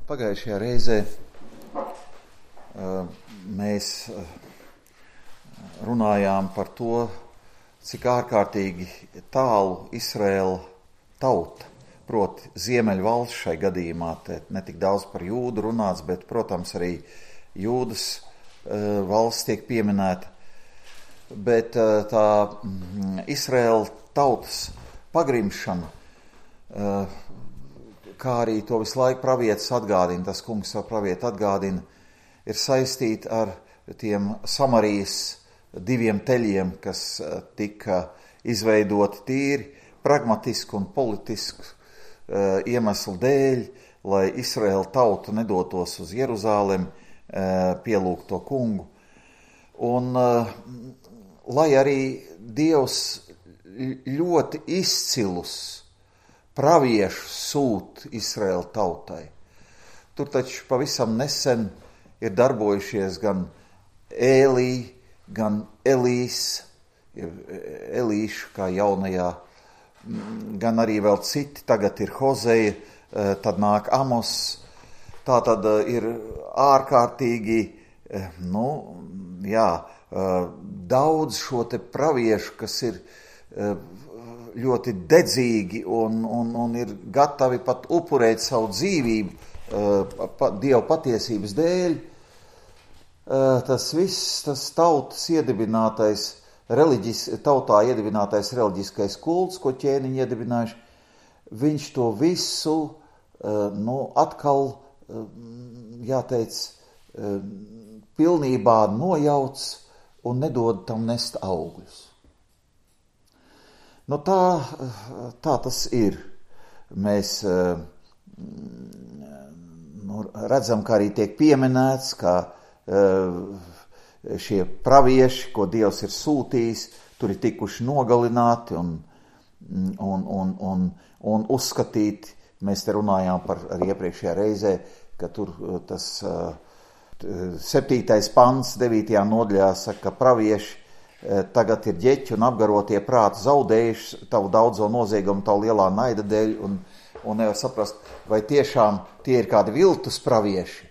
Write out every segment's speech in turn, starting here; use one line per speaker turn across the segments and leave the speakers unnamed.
Pagājušajā reizē mēs runājām par to, cik ārkārtīgi tālu Izraēla tauta, proti Ziemeļvalsts šai gadījumā, ne tik daudz par Jūdu runāts, bet, protams, arī Jūdas valsts tiek pieminēta. Bet tā Izraēla tautas pagrimšana, kā arī to visu laiku pravietis atgādina, tas kungs savu pravieti atgādina, ir saistīta ar tiem Samarijas diviem teļiem, kas tika izveidoti tīri pragmatisku un politisku iemeslu dēļ, lai Izraēla tauta nedotos uz Jeruzālemi pielūgt to kungu. Un lai arī Dievs ļoti izcilus praviešus sūt Izraēla tautai, tur taču pavisam nesen ir darbojušies gan Ēlī, gan Elīs, Elīšu kā jaunajā, gan arī vēl citi, tagad ir Hozeja, tad nāk Amos. Tā tad ir ārkārtīgi, daudz šo te praviešu, kas ir ļoti dedzīgi un ir gatavi pat upurēt savu dzīvību Dieva patiesības dēļ. Tas viss, tas tautas iedibinātais, tautā iedibinātais reliģiskais kults, ko ķēniņi iedibinājuši, viņš to visu atkal, jāteic, pilnībā nojauc un nedod tam nest augļus. Tā tas ir. Mēs redzam, kā arī tiek pieminēts, ka šie pravieši, ko Dievs ir sūtījis, tur ir tikuši nogalināti un uzskatīti. Mēs te runājām par arī iepriekšējā reizē, ka tur tas 7. pants 9. nodaļā saka, ka pravieši tagad ir ģeķi un apgarotie prāti zaudējuši tavu daudzo noziegumu, tavu lielā naida dēļ, un nevar saprast, vai tiešām tie ir kādi viltus pravieši.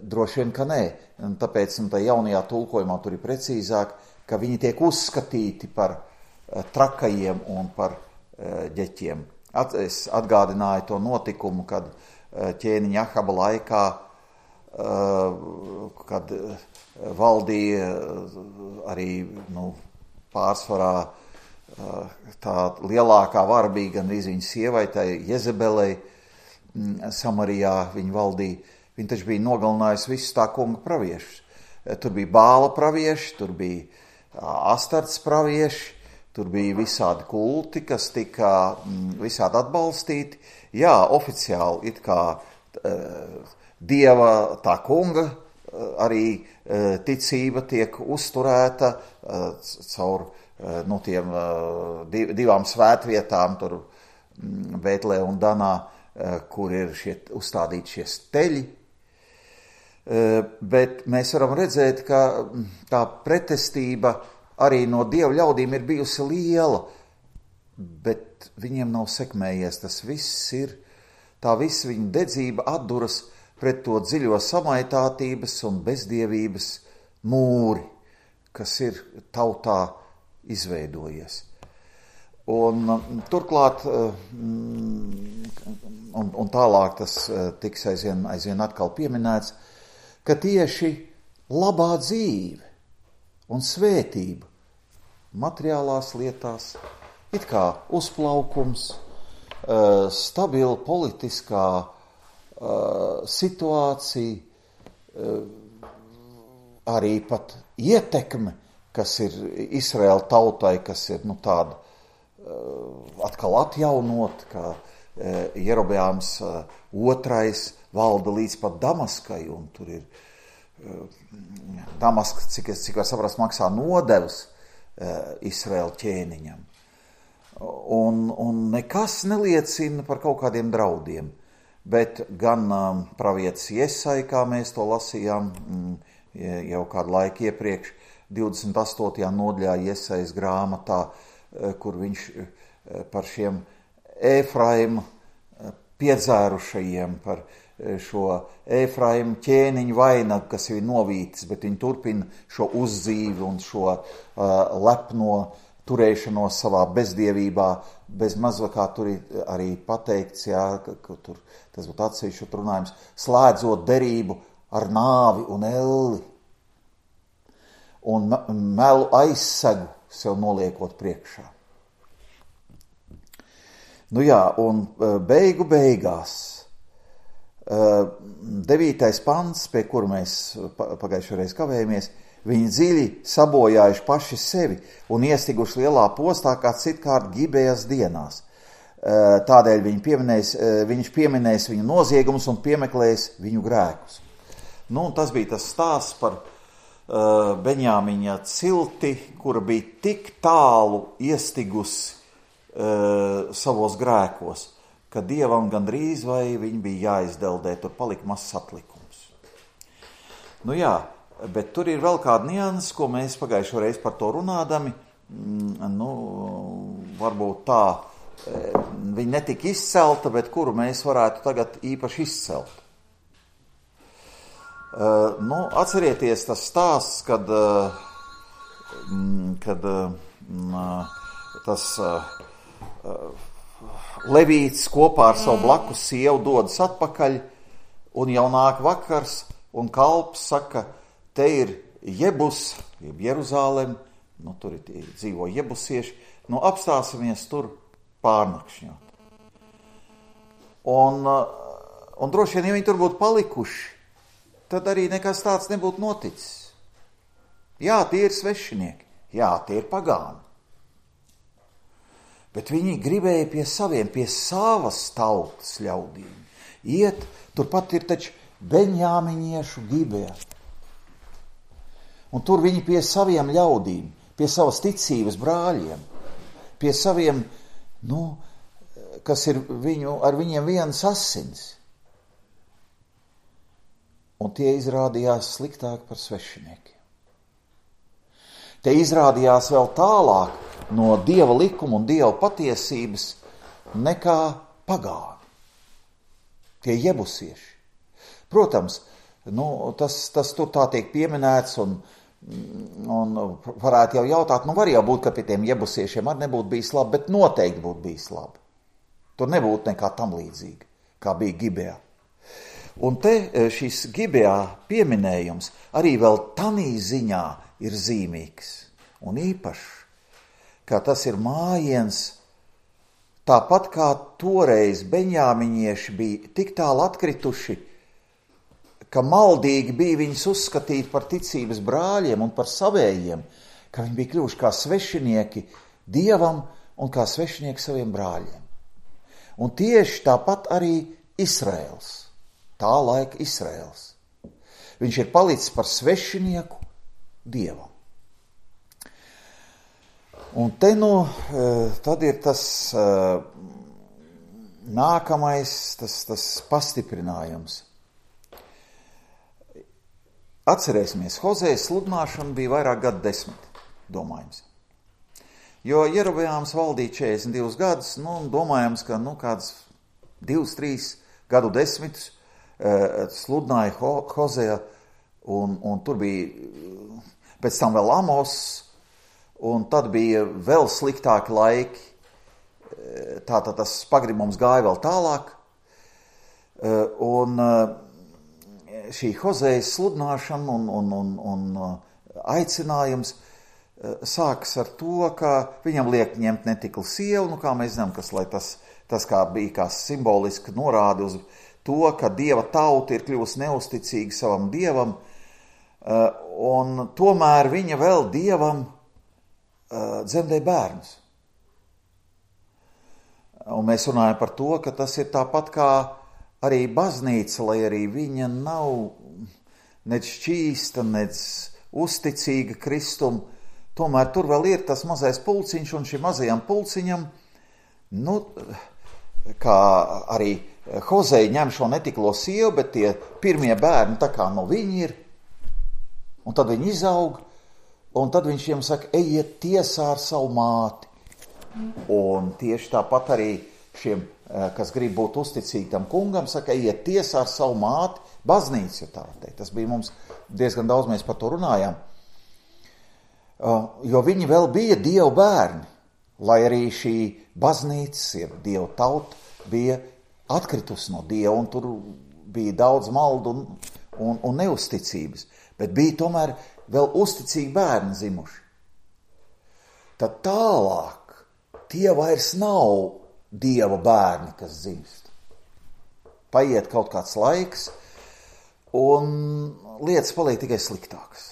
Droši vien, ka nē. Un tāpēc tā jaunajā tulkojumā tur ir precīzāk, ka viņi tiek uzskatīti par trakajiem un par ģeķiem. Es atgādināju to notikumu, kad ķēniņa Ahaba laikā, kad valdīja arī pārsvarā tā lielākā vara bija gan viņa sievai, tai Jezebelei, Samarijā viņa valdīja. Viņa taču bija nogalinājusi visus tā kunga praviešus. Tur bija Bāla pravieši, tur bija Astarts pravieši, tur bija visādi kulti, kas tika visādi atbalstīti. Jā, oficiāli it kā Dieva tā kunga arī ticība tiek uzturēta caur tiem divām svētvietām, tur Betlē un Danā, kur ir uzstādīti šie steļi. Bet mēs varam redzēt, ka tā pretestība arī no Dieva ļaudīm ir bijusi liela, bet viņiem nav sekmējies. Tas viss ir, tā visa viņa dedzība atduras pret to dziļo samaitātības un bezdievības mūri, kas ir tautā izveidojies. Un turklāt, un tālāk tas tiks aizvien atkal pieminēts, ka tieši labā dzīve un svētība materiālās lietās, it kā uzplaukums, stabila politiskā situācija, arī pat ietekme, kas ir Izraēla tautai, kas ir tāda atkal atjaunot, ka Jerobeāms II valda līdz pat Damaskai, un tur ir Damaska, cik var saprast, maksā nodevas Izraēla ķēniņam. Un nekas neliecina par kaut kādiem draudiem, bet gan pravietis Jesai, kā mēs to lasījām jau kādu laiku iepriekš, 28. nodaļā Jesajas grāmatā, kur viņš par šiem Efraima piedzērušajiem, par šo Efraimu ķēniņu vainagu, kas ir novītis, bet viņi turpina šo uzdzīvi un šo lepno turēšanos savā bezdievībā, bez mazā kā tur ir arī pateikts, jā, ka tur, tas būtu atsevišķi runājums, slēdzot derību ar nāvi un elli un melu aizsegu sev noliekot priekšā. Nu jā, un beigu beigās 9. pants, pie kura mēs pagājušajā reiz kavējamies, viņi dziļi sabojājuši paši sevi un iestiguši lielā postā kā citkārt Gibejas dienās. Tādēļ viņš pieminēs viņu noziegumus un piemeklēs viņu grēkus. Nu, un tas bija tas stāsts par Beņāmiņa cilti, kura bija tik tālu iestigusi savos grēkos, ka Dievam gandrīz vai viņi bija jāizdeldē, tur palika mazs atlikums. Nu jā, bet tur ir vēl kāda nianses, ko mēs pagājušo reizi par to runādami, nu, varbūt tā, viņa netika izcelta, bet kuru mēs varētu tagad īpaši izcelt. Nu, atcerieties tas stāsts, kad tas Levīts kopā ar savu blakus sievu dodas atpakaļ, un jau nāk vakars, un kalps saka, te ir Jebus, Jeruzālem, nu tur ir dzīvo jebusieši, nu apstāsimies tur pārnakšņot. Un droši vien, ja viņi tur būtu palikuši, tad arī nekas tāds nebūtu noticis. Jā, tie ir svešinieki, jā, tie ir pagāni. Bet viņi gribēja pie saviem, pie savas tautas ļaudīm. Iet, turpat ir taču beņāmiņiešu Gibeja. Un tur viņi pie saviem ļaudīm, pie savas ticības brāļiem, pie saviem, nu, kas ir ar viņiem vienas asins. Un tie izrādījās sliktāk par svešiniekiem. Te izrādījās vēl tālāk no Dieva likuma un Dieva patiesības nekā pagāni. Tie jebusieši. Protams, nu, tas tur tā tiek pieminēts un varētu jau jautāt, nu var jau būt, ka pie tiem jebusiešiem arī nebūtu bijis labi, bet noteikti būtu bijis labi. Tur nebūtu nekā tam līdzīga, kā bija Gibejā. Un te šis Gibejā pieminējums arī vēl tanī ziņā ir zīmīgs un īpašs, kā tas ir mājiens, tāpat kā toreiz beņāmiņieši bija tik tālu atkrituši, ka maldīgi bija viņus uzskatīt par ticības brāļiem un par savējiem, ka viņi bija kļuvuši kā svešinieki Dievam un kā svešinieki saviem brāļiem. Un tieši tāpat arī Izraels, tā laika Izraels. Viņš ir palicis par svešinieku Dievam. Un te nu, tad ir tas nākamais, tas pastiprinājums. Atcerēsimies, Hozējas sludināšana bija vairāk gadu desmiti, domājams. Jo Jerobejāms valdīja 42 gadus, nu, domājams, ka kāds 2-3 gadu desmitus sludināja Hozēja, un tur bija pēc tam vēl Amos, un tad bija vēl sliktāki laiki, tātad tas pagribums gāja vēl tālāk, un šī Hozējas sludināšana un aicinājums sākas ar to, ka viņam liek ņemt netiklu sievu, kā mēs zinām, tas kā bija kā simboliski norādi uz to, ka Dieva tauta ir kļuvusi neusticīga savam Dievam, un tomēr viņa vēl Dievam dzemdē bērnus. Un mēs runājam par to, ka tas ir tāpat kā arī baznīca, lai arī viņa nav nec šķīsta, nec uzticīga Kristum, tomēr tur vēl ir tas mazais pulciņš, un šim mazajam pulciņam, kā arī Hozēja ņem šo netiklo sievu, bet tie pirmie bērni tā kā no viņi ir, un tad viņi izaug, un tad viņš viņiem saka, ejiet tiesā ar savu māti. Un tieši tāpat arī šiem kas grib būt uzticīgi tam kungam, saka, ejiet tiesā ar savu māti, baznīcu, ja tā teikt. Tas bija mums diezgan daudz, mēs par to runājām. Jo viņi vēl bija Dieva bērni, lai arī šī baznīca, ja Dieva tauta, bija atkritusi no Dieva, un tur bija daudz maldu un neusticības, bet bija tomēr vēl uzticīgi bērni zimuši. Tad tālāk tie vairs nav Dieva bērni, kas dzimst. Paiet kaut kāds laiks, un lietas paliek tikai sliktākas.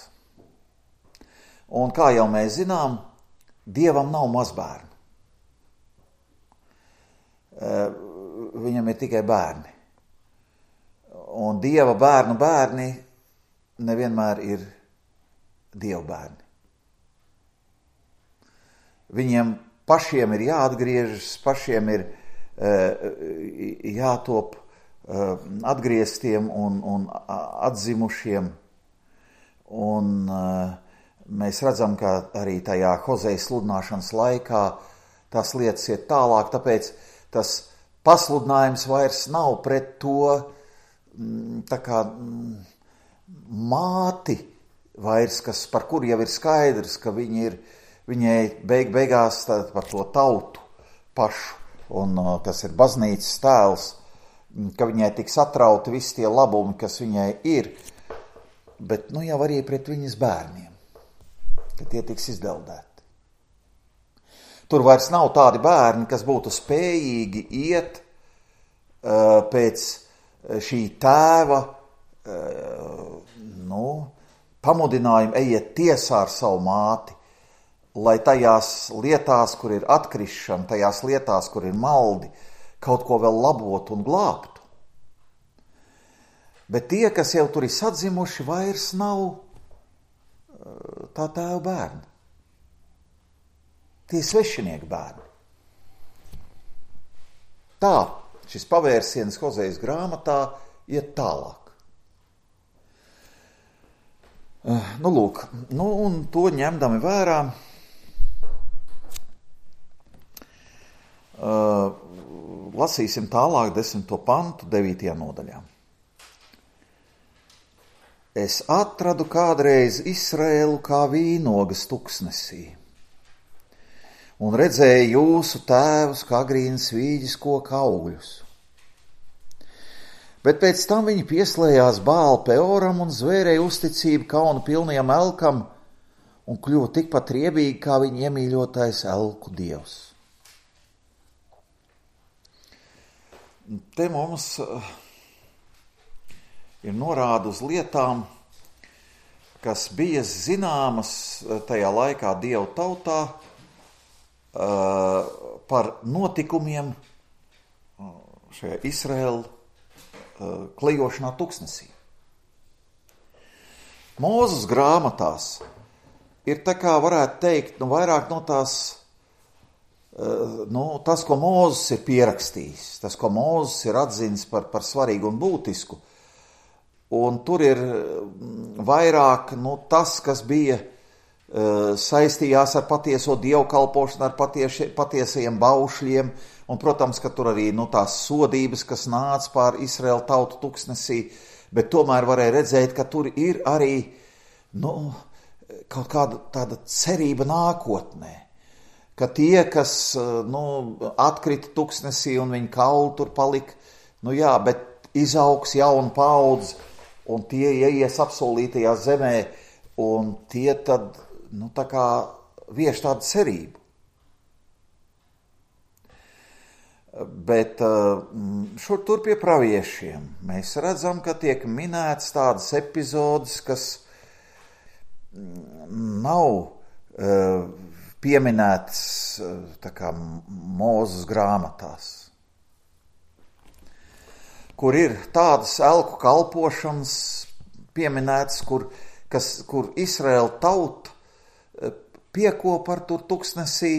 Un kā jau mēs zinām, Dievam nav mazbērni. Viņam ir tikai bērni. Un Dieva bērni nevienmēr ir Dieva bērni. Viņiem pašiem ir jāatgriežas, pašiem ir jātop atgrieztiem un atzimušiem. Un mēs redzam, ka arī tajā Hozeja sludināšanas laikā tās lietas iet tālāk, tāpēc tas pasludinājums vairs nav pret to tā kā māti vairs, par kuru jau ir skaidrs, ka viņai beigās par to tautu pašu, un tas ir baznīcas tēls, ka viņai tiks atrauti visi tie labumi, kas viņai ir, bet jau arī pret viņas bērniem, ka tie tiks izdeldēti. Tur vairs nav tādi bērni, kas būtu spējīgi iet pēc šī tēva pamudinājuma, ejiet tiesā ar savu māti, lai tajās lietās, kur ir atkrišana, tajās lietās, kur ir maldi, kaut ko vēl labotu un glābtu. Bet tie, kas jau tur ir sadzimuši, vairs nav tā tēva bērni. Tie svešinieku bērni. Tā, šis pavērsiens Hozejas grāmatā iet tālāk. Lūk, un to ņemdami vērā, lasīsim tālāk 10. pantu 9. nodaļā. Es atradu kādreiz Izraēlu kā vīnogas tuksnesī, un redzēju jūsu tēvus kā agrīnas vīģes koka augļus. Bet pēc tam viņi pieslējās Bāla Peoram un zvērēja uzticību kauna pilnajam elkam un kļuva tikpat riebīgi kā viņa iemīļotais elku dievs. Te mums ir norāda uz lietām, kas bija zināmas tajā laikā Dieva tautā par notikumiem šajā Izraēlu klejošanā tuksnesī. Mūzes grāmatās ir tā kā varētu teikt, vairāk no tās, tas, ko Mūzes ir pierakstījis, tas, ko Mūzes ir atzinis par svarīgu un būtisku, un tur ir vairāk tas, kas bija saistījās ar patieso dievkalpošanu, ar patiesajiem baušļiem, un, protams, ka tur arī tās sodības, kas nāca pār Izraēlu tautu tuksnesī, bet tomēr varēja redzēt, ka tur ir arī kaut kāda tāda cerība nākotnē, ka tie, kas atkrita tuksnesī un viņa kauli tur palika, bet izaugs jauna paudze, un tie ieies apsolītajā zemē, un tie tad, tā kā vieš tādu cerību. Bet šur tur pie praviešiem mēs redzam, ka tiek minēts tādas epizodes, kas nav pieminētas tā kā Mūzes grāmatās, kur ir tādas elku kalpošanas pieminētas, kur Izraēla tauta piekopa ar tur tuksnesī,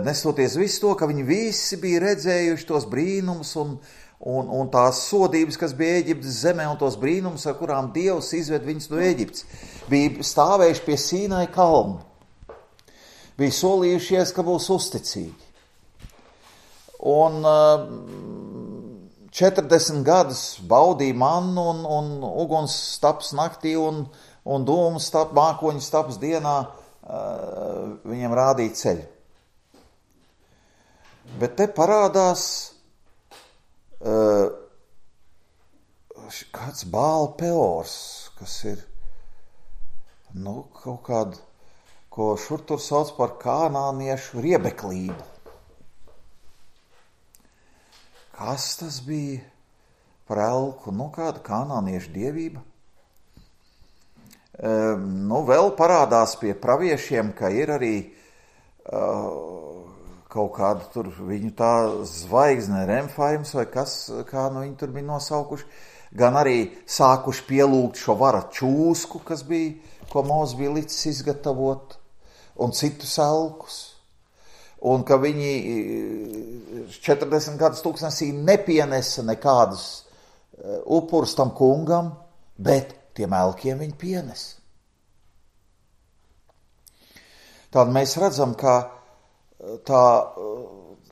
nestoties visu to, ka viņi visi bija redzējuši tos brīnumus un tās sodības, kas bija Ēģiptes zemē, un tos brīnumus, ar kurām Dievs izved viņus no Ēģiptes, bija stāvējuši pie Sīnai kalna, bija solījušies, ka būs uzticīgi. un 40 gadus baudīja mannu un uguns staps naktī un dūmu mākoņu staps dienā viņam rādīja ceļu. Bet te parādās kāds Bāla Peors, kas ir kaut kādu, ko šur tur sauc par kanāniešu riebeklību. Kas tas bija par elku? Kāda kanāniešu dievība? Vēl parādās pie praviešiem, ka ir arī kaut kāda tur viņu tā zvaigzne Remfaims vai kas, kā viņi tur bija nosaukuši, gan arī sākuši pielūgt šo vara čūsku, kas bija, ko Mozus bija licis izgatavot, un citus elkus. Un ka viņi 40 gadus tūkstnesī nepienesa nekādus upurus tam kungam, bet tiem elkiem viņi pienes. Tad mēs redzam, ka tā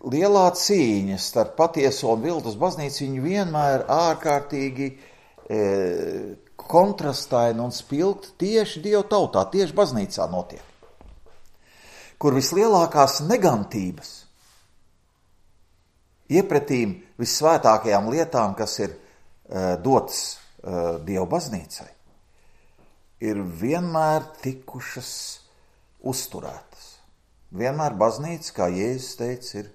lielā cīņa starp patieso un viltus baznīcu viņa vienmēr ārkārtīgi kontrastaina un spilgta tieši Dievu tautā, tieši baznīcā notiek, kur vislielākās negantības iepretīm vissvētākajām lietām, kas ir dotas Dievu baznīcai, ir vienmēr tikušas uzturētas. Vienmēr baznīca, kā Jēzus teica, ir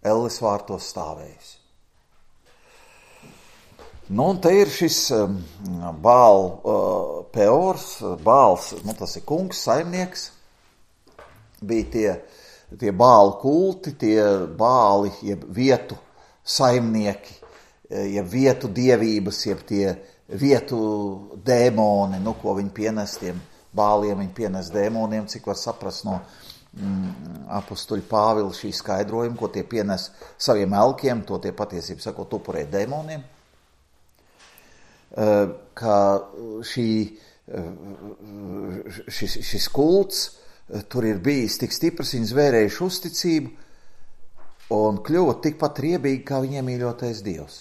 elles vārtos stāvējusi. Un te ir šis Bāla Peors, Bāls, tas ir kungs, saimnieks, bija tie Bāla kulti, tie Bāli, jeb vietu saimnieki, jeb vietu dievības, jeb tie vietu dēmoni, ko viņi pienes tiem Bāliem, viņi pienes dēmoniem, cik var saprast no apustuļa Pāvila šī skaidrojuma, ko tie pienes saviem elkiem, to tie patiesībā sakot upurē dēmoniem, ka šis kults tur ir bijis tik stiprs, viņi zvērējuši uzticību un kļuva tikpat riebīgi, kā viņiem mīļotais Dievs.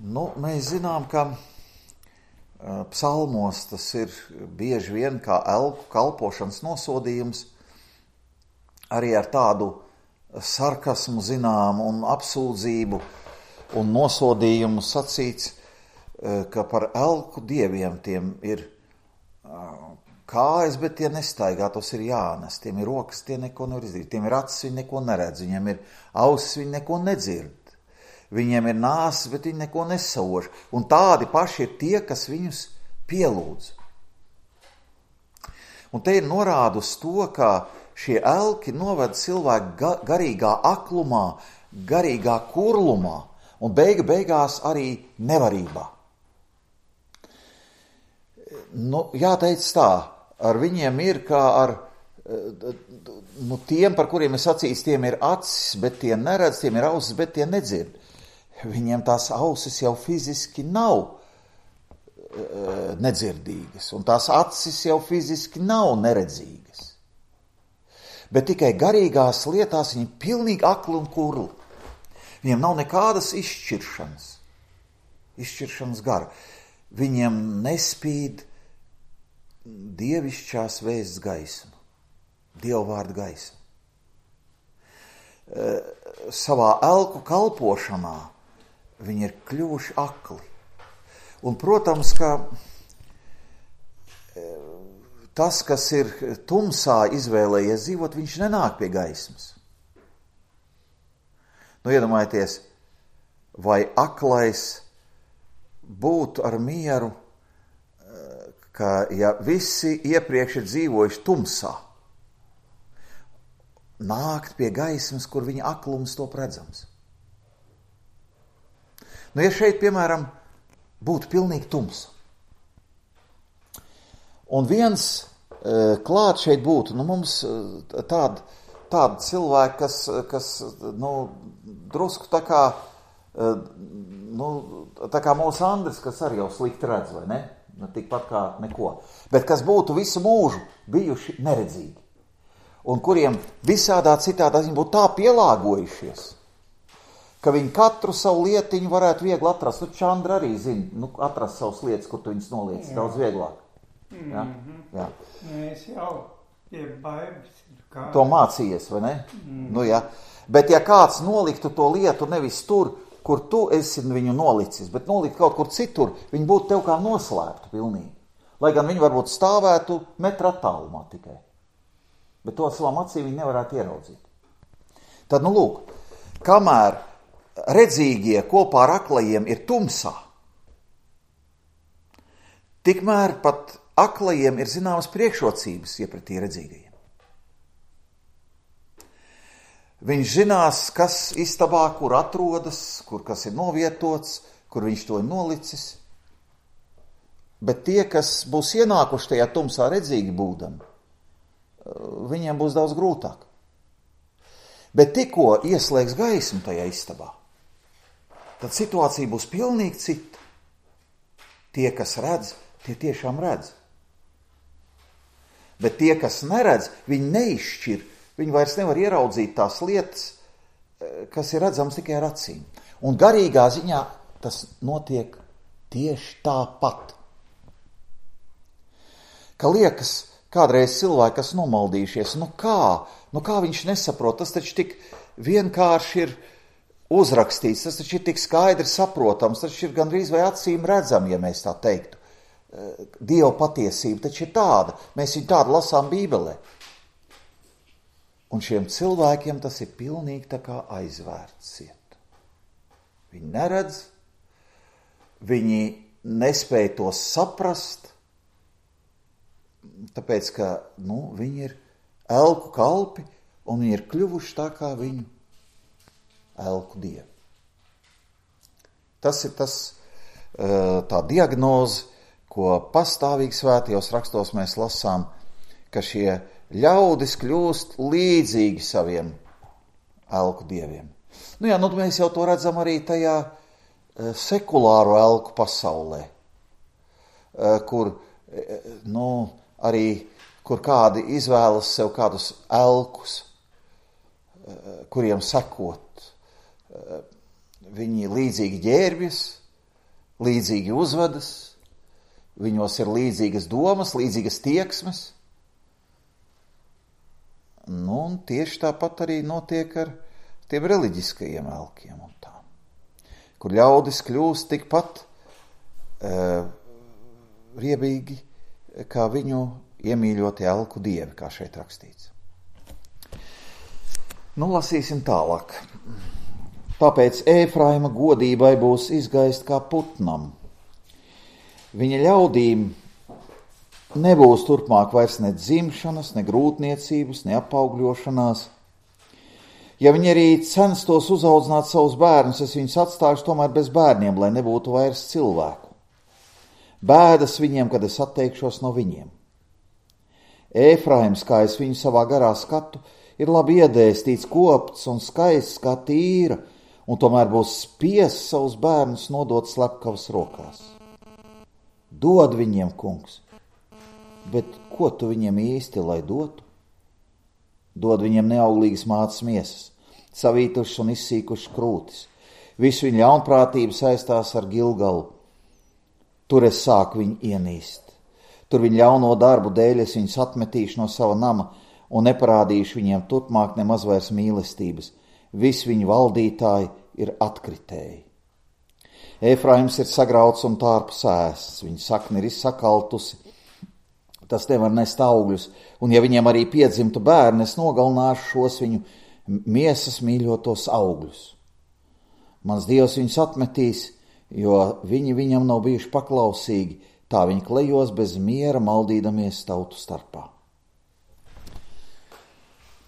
Mēs zinām, ka psalmos tas ir bieži vien kā elku kalpošanas nosodījums, arī ar tādu sarkasmu zinām un apsūdzību un nosodījumu sacīts, ka par elku dieviem tiem ir kājas, bet tie nestaigā, tos ir jānes, tiem ir rokas, tie neko nevar izdarīt, tiem ir acis, viņi neko neredz, viņiem ir ausis, viņi neko nedzird. Viņiem ir nāsis, bet viņi neko nesauž. Un tādi paši ir tie, kas viņus pielūdz. Un te ir norāda uz to, ka šie elki noved cilvēku garīgā aklumā, garīgā kurlumā un beigās arī nevarībā. Jāteic tā, ar viņiem ir kā ar tiem, par kuriem es sacīju, tiem ir acis, bet tie neredz, tiem ir ausis, bet tie nedzird. Viņiem tās ausis jau fiziski nav nedzirdīgas, un tās acis jau fiziski nav neredzīgas. Bet tikai garīgās lietās viņi pilnīgi akli un kurli. Viņiem nav nekādas izšķiršanas gara. Viņiem nespīd dievišķās vēsts gaisma, Dieva vārda gaisma. Savā elku kalpošanā viņi ir kļuvuši akli. Un, protams, ka tas, kas ir tumsā izvēlējies dzīvot, viņš nenāk pie gaismas. Iedomājieties, vai aklais būtu ar mieru, ka ja visi iepriekš ir dzīvojuši tumsā, nākt pie gaismas, kur viņa aklums top redzams. Ja šeit, piemēram, būtu pilnīgi tums, un viens klāt šeit būtu, mums tādi cilvēki, kas drusku tā kā mūsu Andris, kas arī jau slikti redz, vai ne? Tikpat kā neko. Bet kas būtu visu mūžu bijuši neredzīgi. un kuriem visādā citādā viņi būtu tā pielāgojušies, ka viņi katru savu lietiņu varētu viegli atrast. Nu, Čandra arī zina, atrast savas lietas, kur tu viņas noliec, daudz vieglāk. Ja? Jā.
Es jau pie baigas.
To mācījies, vai ne? Nu, ja. Bet ja kāds noliktu to lietu nevis tur, kur tu esi viņu nolicis, bet nolikt kaut kur citur, viņi būtu tev kā noslēptu pilnīgi. Lai gan viņi varbūt stāvētu metra attālumā tikai. Bet to savām acīm viņi nevarētu ieraudzīt. Tad, lūk, kamēr redzīgie kopā ar aklajiem ir tumsā, tikmēr pat aklajiem ir zināmas priekšrocības iepratī redzīgajiem. Viņš zinās, kas istabā, kur atrodas, kur kas ir novietots, kur viņš to ir nolicis. Bet tie, kas būs ienākuši tajā tumsā redzīgi būdami, viņiem būs daudz grūtāk. Bet tikko ieslēgs gaismu tajā istabā, tad situācija būs pilnīgi cita. Tie, kas redz, tie tiešām redz. Bet tie, kas neredz, viņi neizšķir. Viņi vairs nevar ieraudzīt tās lietas, kas ir redzams tikai ar acīm. Un garīgā ziņā tas notiek tieši tāpat. Ka liekas, kādreiz cilvēki, kas nomaldījušies, kā viņš nesaprot, tas taču tik vienkārši ir uzrakstīts, tas taču ir tik skaidri saprotams, tas taču ir gandrīz vai acīm redzam, ja mēs tā teiktu. Dieva patiesība taču ir tāda, mēs viņu tādu lasām Bībelē. Un šiem cilvēkiem tas ir pilnīgi tā kā aizvērts ciet. Viņi neredz, viņi nespēja to saprast, tāpēc, ka viņi ir elku kalpi un viņi ir kļuvuši tā kā viņu elku dievi. Tas ir tā diagnoze, ko pastāvīgi svētajos rakstos mēs lasām, ka šie ļaudis kļūst līdzīgi saviem elku dieviem. Mēs jau to redzam arī tajā sekulāro elku pasaulē, kur kādi izvēlas sev kādus elkus, kuriem sekot. Viņi līdzīgi ģērbjas, līdzīgi uzvedas, viņos ir līdzīgas domas, līdzīgas tieksmes. Un tieši tāpat arī notiek ar tiem reliģiskajiem elkiem un tā, kur ļaudis kļūst tikpat riebīgi, kā viņu iemīļotie elku dievi, kā šeit rakstīts. Lasīsim tālāk. Tāpēc Ēfraima godībai būs izgaist kā putnam. Viņa ļaudīm nebūs turpmāk vairs ne dzimšanas, ne grūtniecības, ne apaugļošanās. Ja viņi arī censtos uzaudzināt savus bērnus, es viņus atstāšu tomēr bez bērniem, lai nebūtu vairs cilvēku. Bēdas viņiem, kad es atteikšos no viņiem. Ēfraims, kā es viņu savā garā skatu, ir labi iedēstīts, kopts un skaists kā tīra, un tomēr būs spiests savus bērnus nodot slepkavas rokās. Dod viņiem, kungs, bet ko tu viņiem īsti lai dotu? Dod viņiem neauglīgas mātes miesas, savītušas un izsīkušas krūtis. Visu viņu ļaunprātību saistās ar Gilgalu. Tur es sāku viņu ienīst. Tur viņu ļauno darbu dēļ es viņus atmetīšu no sava nama un neparādīšu viņiem turpmāk nemaz vairs mīlestības. Visi viņu valdītāji ir atkritēji. Ēfraims ir sagrauts un tārps ēsts, viņa sakne ir izsakaltusi, tas nevar nest augļus, un ja viņiem arī piedzimtu bērni, es nogalināšu šos viņu miesas mīļotos augļus. Mans Dievs viņus atmetīs, jo viņi viņam nav bijuši paklausīgi, tā viņi klejos bez miera, maldīdamies tautu starpā.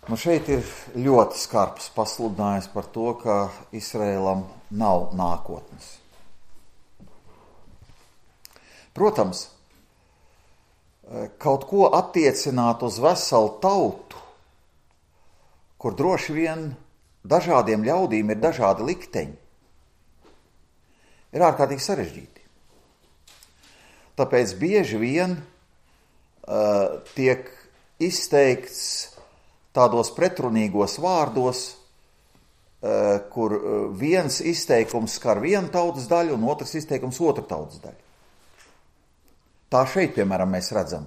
Šeit ir ļoti skarbs pasludinājums par to, ka Izraēlam nav nākotnes. Protams, kaut ko attiecināt uz veselu tautu, kur droši vien dažādiem ļaudīm ir dažādi likteņi, ir ārkārtīgi sarežģīti. Tāpēc bieži vien tiek izteikts tādos pretrunīgos vārdos, kur viens izteikums skar vienu tautas daļu un otrs izteikums otru tautas daļu. Tā šeit, piemēram, mēs redzam.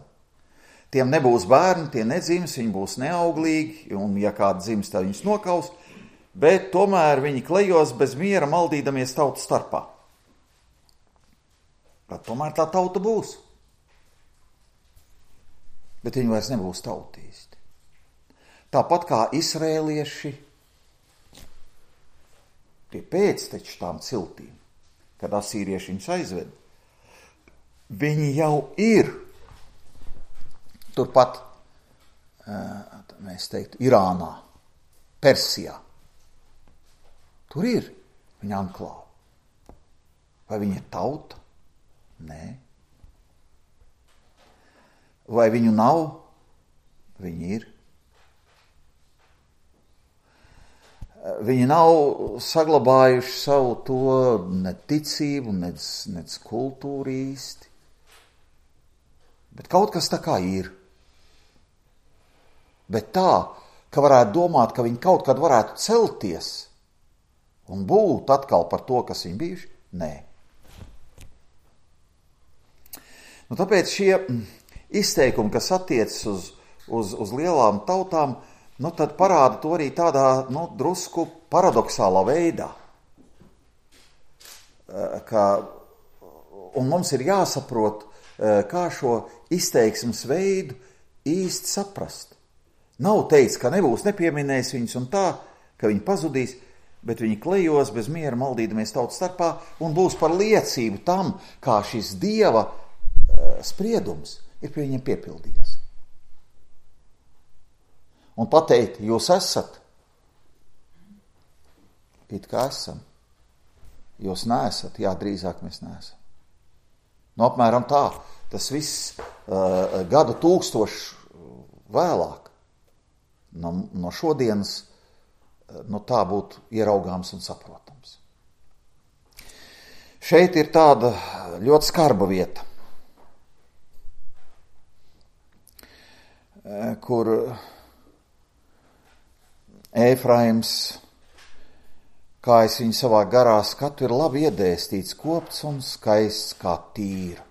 Tiem nebūs bērni, tie nedzims, viņi būs neauglīgi, un ja kāds dzims, tad viņus nokaus, bet tomēr viņi klejos bez miera, maldīdamies tautu starpā. Bet tomēr tā tauta būs. Bet viņi vairs nebūs tauta īsti. Tāpat kā izrēlieši, tie pēcteči tām ciltīm, kad asīrieši viņus aizved, viņi jau ir turpat, mēs teiktu, Irānā, Persijā. Tur ir viņa anklāva. Vai viņa ir tauta? Nē. Vai viņu nav? Viņi ir. Viņi nav saglabājuši savu to neticību, nec kultūru īsti. Bet kaut kas tā kā ir. Bet tā, ka varētu domāt, ka viņi kaut kad varētu celties un būt atkal par to, kas viņi bijuši, nē. Nu, tāpēc šie izteikumi, kas attiecas uz lielām tautām, nu, tad parāda to arī tādā, nu, drusku paradoxālā veidā. Un mums ir jāsaprot, kā šo izteiksmes veidu īsti saprast. Nav teikts, ka nebūs nepieminējis viņus un tā, ka viņi pazudīs, bet viņi klejos bez miera maldīdamies tautas starpā un būs par liecību tam, kā šis Dieva spriedums ir pie viņiem piepildījies. Un pateikt, jūs esat, it kā esam. Jūs neesat, jā, drīzāk mēs neesam. Nu, apmēram tā, tas viss gadu tūkstošu vēlāk, no šodienas, nu, tā būtu ieraugāms un saprotams. Šeit ir tāda ļoti skarba vieta, kur Ēfraims, kā es viņu savā garā skatu, ir labi iedēstīts, kopts un skaists kā Tīra.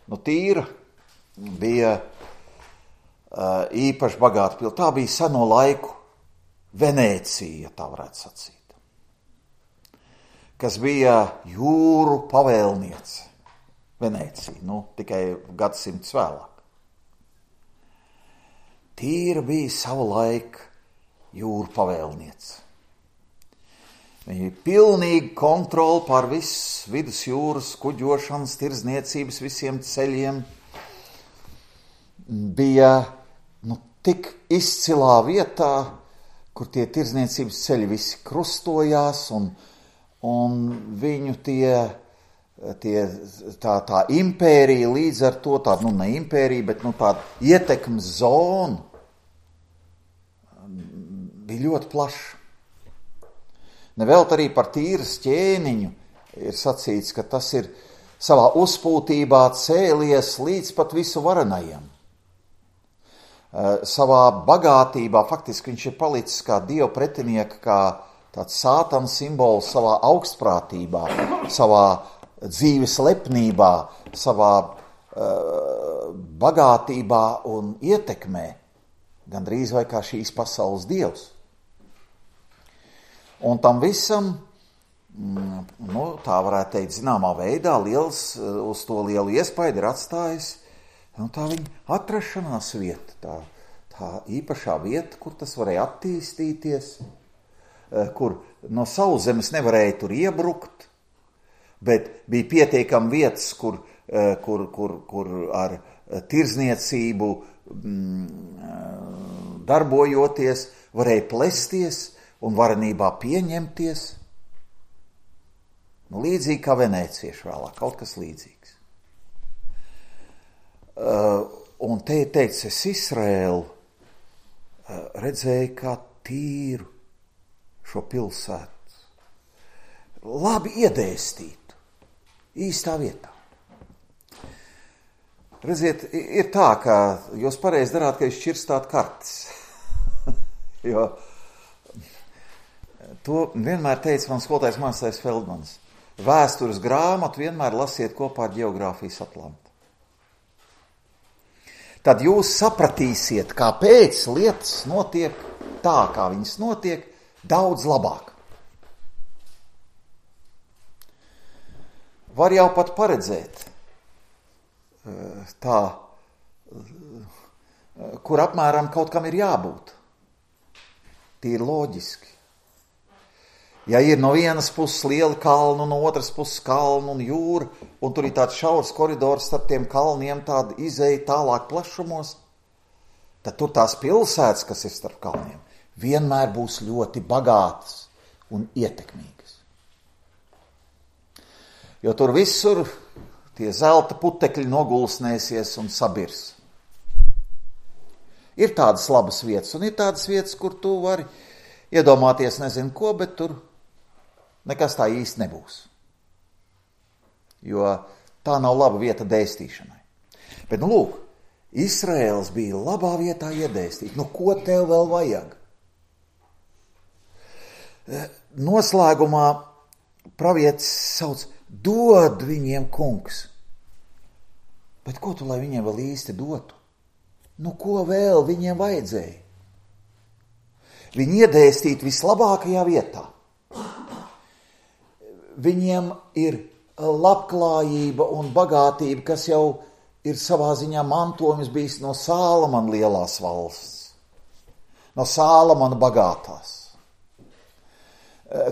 Nu, Tīra bija īpaši bagāta pilsēta. Tā bija seno laiku Venēcija, ja tā varētu sacīt, kas bija jūru pavēlniece. Venēcija, nu, tikai gadsimts vēlāk. Tīra bija savu laiku jūru pavēlniece. Viņa bija pilnīga kontrola pār visu vidusjūras kuģošanas, tirdzniecības, visiem ceļiem. Bija, nu, tik izcilā vietā, kur tie tirdzniecības ceļi visi krustojās, un viņu tā impērija līdz ar to, tāda, nu, ne impērija, bet, nu, tāda ietekmes zona bija ļoti plaša. Nevelt arī par Tīras ķēniņu ir sacīts, ka tas ir savā uzpūtībā cēlies līdz pat visu varenajam. Savā bagātībā, faktiski viņš ir palicis kā Dieva pretinieka, kā tāds sātana simbols savā augstprātībā, savā dzīves lepnībā, savā bagātībā un ietekmē, gandrīz vai kā šīs pasaules dievs. Un tam visam, nu, tā varētu teikt, zināmā veidā uz to lielu iespaidu ir atstājis, nu, tā viņa atrašanās vieta, tā īpašā vieta, kur tas varēja attīstīties, kur no sauszemes nevarēja tur iebrukt, bet bija pietiekami vietas, kur ar tirdzniecību darbojoties, varēja plesties un varenībā pieņemties. Nu, līdzīgi kā venēcieši vēlāk, kaut kas līdzīgs. Un te ir teikts, es Izraēlu redzēju kā Tīru šo pilsētu. Labi iedēstītu, īstā vietā. Redziet, ir tā, ka jūs pareizi darāt, ka jūs šķirstāt kartes. Jo to vienmēr teica mans skolotājs Mārsais Feldmans. Vēstures grāmatu vienmēr lasiet kopā ar Geogrāfijas atlantu. Tad jūs sapratīsiet, kāpēc lietas notiek tā, kā viņas notiek, daudz labāk. Var jau pat paredzēt tā, kur apmēram kaut kam ir jābūt. Tīri loģiski. Ja ir no vienas puses liela kalna, no otras puses kalna un jūra, un tur ir tāds šaurs koridors starp tiem kalniem, tāda izeja tālāk plašumos, tad tur tās pilsētas, kas ir starp kalniem, vienmēr būs ļoti bagātas un ietekmīgas. Jo tur visur tie zelta putekļi nogulsnēsies un sabirs. Ir tādas labas vietas, un ir tādas vietas, kur tu vari iedomāties nezinu ko, bet tur nekas tā īsti nebūs. Jo tā nav laba vieta dēstīšanai. Bet, lūk, Izraēls bija labā vietā iedēstīt. Ko tev vēl vajag? Noslēgumā pravietis sauc, dod viņiem kungs. Bet ko tu, lai viņiem vēl īsti dotu? Ko vēl viņiem vajadzēja? Viņi iedēstīt vislabākajā vietā. Viņiem ir labklājība un bagātība, kas jau ir savā ziņā mantojums bijis no Sālamana lielās valsts, no Sālamana bagātās,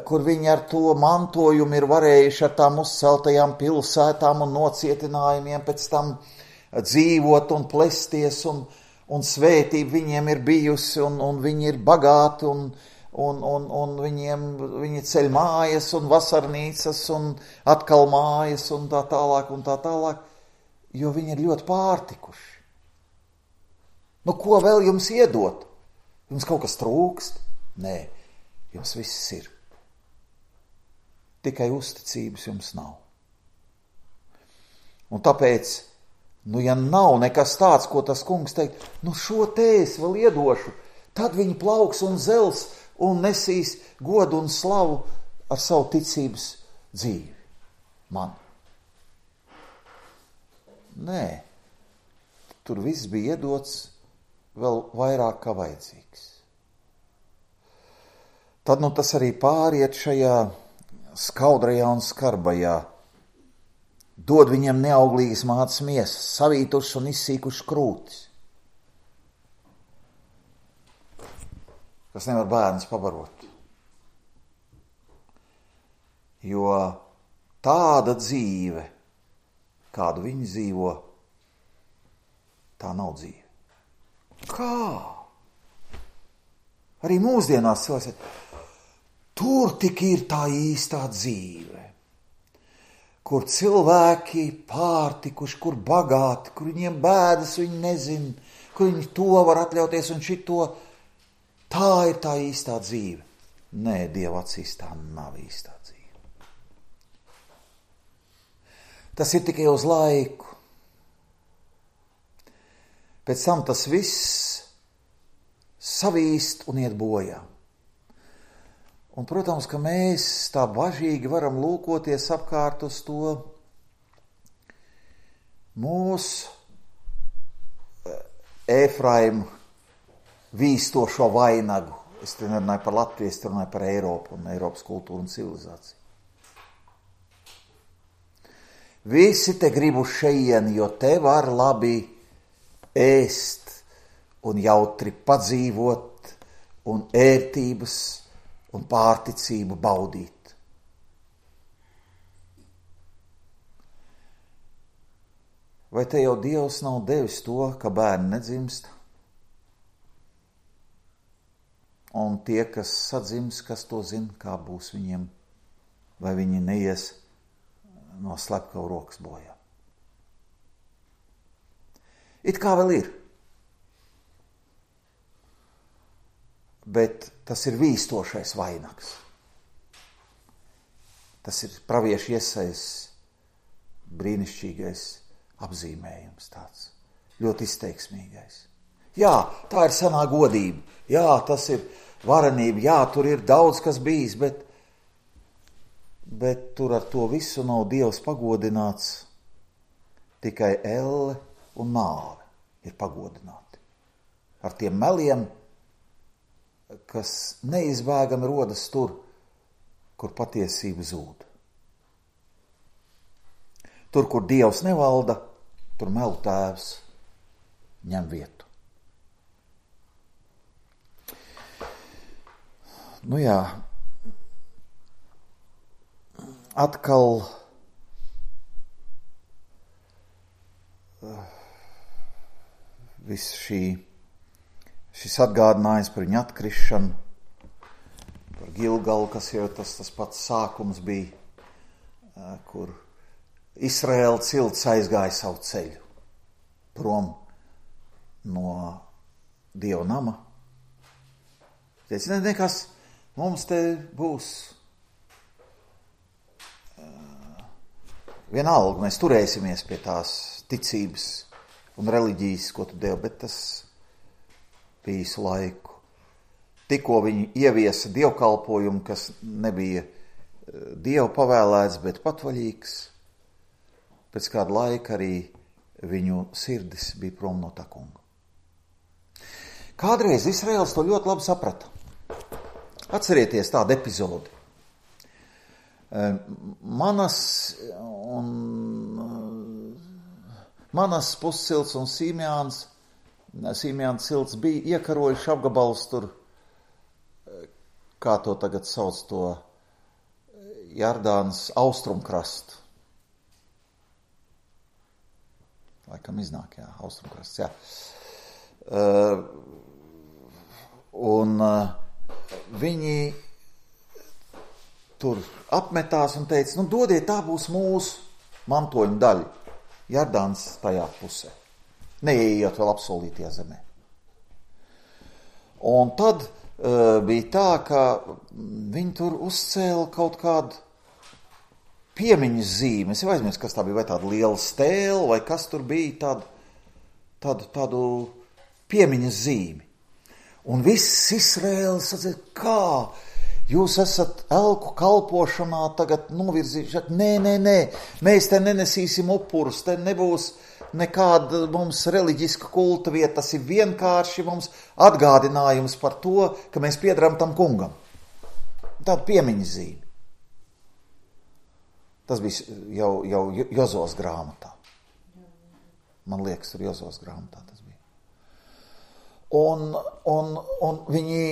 kur viņi ar to mantojumu ir varējuši ar tām uzceltajām pilsētām un nocietinājumiem pēc tam dzīvot un plesties, un svētība viņiem ir bijusi, un viņi ir bagāti, un viņi ceļ mājas un vasarnīcas un atkal mājas un tā tālāk, jo viņi ir ļoti pārtikuši. Ko vēl jums iedot? Jums kaut kas trūkst? Nē, jums viss ir. Tikai uzticības jums nav. Un tāpēc, ja nav nekas tāds, ko tas kungs teikt, šo te es vēl iedošu, tad viņi plauks un zels un nesīs godu un slavu ar savu ticības dzīvi. Man. Nē, tur viss bija iedots vēl vairāk kā vajadzīgs. Tad tas arī pāriet šajā skaudrajā un skarbajā. Dod viņiem neauglīgas mātes miesas, savītušas un izsīkušas krūtis, kas nevar bērns pabarot. Jo tāda dzīve, kādu viņi dzīvo, tā nav dzīve. Kā? Arī mūsdienās cilvēks, tur tik ir tā īstā dzīve, kur cilvēki pārtikuši, kur bagāti, kur viņiem bēdas, viņi nezin, kur viņi to var atļauties un šito. Tā ir tā īstā dzīve. Nē, Dieva acīs tā nav īstā dzīve. Tas ir tikai uz laiku. Pēc tam tas viss savīst un iet bojā. Un, protams, ka mēs tā bažīgi varam lūkoties apkārt uz to mūsu Efraimu vīstošo vainagu. Es te nerunāju par Latviju, es te runāju par Eiropu un Eiropas kultūru un civilizāciju. Visi te grib uz šejieni, jo te var labi ēst un jautri padzīvot un ērtības un pārticību baudīt. Vai te jau Dievs nav devis to, ka bērni nedzimst? Un tie, kas sadzims, kas to zina, kā būs viņiem, vai viņi neies no slepkavu rokas bojā. It kā vēl ir. Bet tas ir vīstošais vainags. Tas ir pravieša Jesajas brīnišķīgais apzīmējums tāds, ļoti izteiksmīgais. Jā, tā ir senā godība, jā, tas ir varenība, jā, tur ir daudz kas bijis, bet tur ar to visu nav Dievs pagodināts, tikai elle un nāve ir pagodināti. Ar tiem meliem, kas neizbēgami rodas tur, kur patiesība zūd. Tur, kur Dievs nevalda, tur melu tēvs ņem vietu. Nu jā, atkal viss šis atgādinājums par viņu atkrišanu, par Gilgalu, kas jau tas pats sākums bija, kur Izraēla cilts aizgāja savu ceļu prom no Dieva nama. Teica, nekas, mums te būs vienalga, mēs turēsimies pie tās ticības un reliģijas, ko tu devi, bet tas bija īsu laiku. Tikko viņi ieviesa dievkalpojumu, kas nebija Dievu pavēlēts, bet patvaļīgs, pēc kāda laika arī viņu sirdis bija prom no tā kunga. Kādreiz Izraels to ļoti labi saprata. Atcerieties tādu epizodi. Manas puscilts un Sīmjāna cilts bija iekarojuši apgabalus tur, kā to tagad sauc, to Jardānas austrumkrastu. Laikam iznāk, jā, austrumkrasts, jā. Un viņi tur apmetās un teica, dodiet, tā būs mūsu mantojuma daļa. Jardāns tajā pusē. Neieiet vēl apsolītajā zemē. Un tad bija tā, ka viņi tur uzcēla kaut kādu piemiņas zīmi. Es jau aizmirsu, kas tā bija, vai tāda liela stēla, vai kas tur bija, tādu piemiņas zīmi. Un viss Izraēls sacīja, kā jūs esat elku kalpošanā tagad novirzījuši. Nē, mēs te nenesīsim upurus, te nebūs nekāda mums reliģiska kulta vieta, tas ir vienkārši mums atgādinājums par to, ka mēs piederam tam kungam. Tāda piemiņas zīme. Tas bija jau Jozos grāmatā. Man liekas, tur Jozos grāmatā tas bija. Un viņi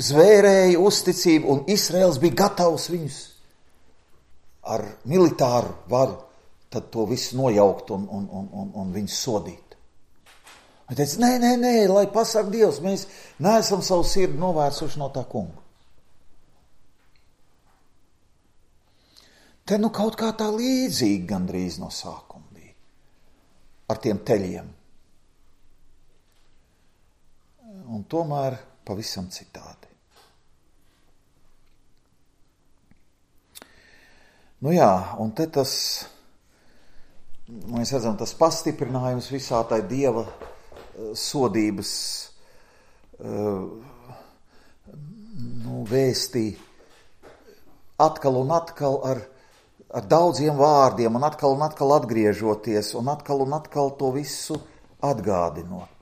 zvērēja uzticību, un Izraels bija gatavs viņus ar militāru varu tad to visu nojaukt un viņus sodīt. Viņi teica, nē, lai pasaka Dievs, mēs neesam savu sirdi novērsuši no tā kunga. Te kaut kā tā līdzīgi gandrīz no sākuma bija ar tiem teļiem. Un tomēr pavisam citādi. Nu jā, un te tas, mēs redzam, tas pastiprinājums visā tai Dieva sodības vēstī atkal un atkal ar daudziem vārdiem un atkal atgriežoties un atkal to visu atgādinot.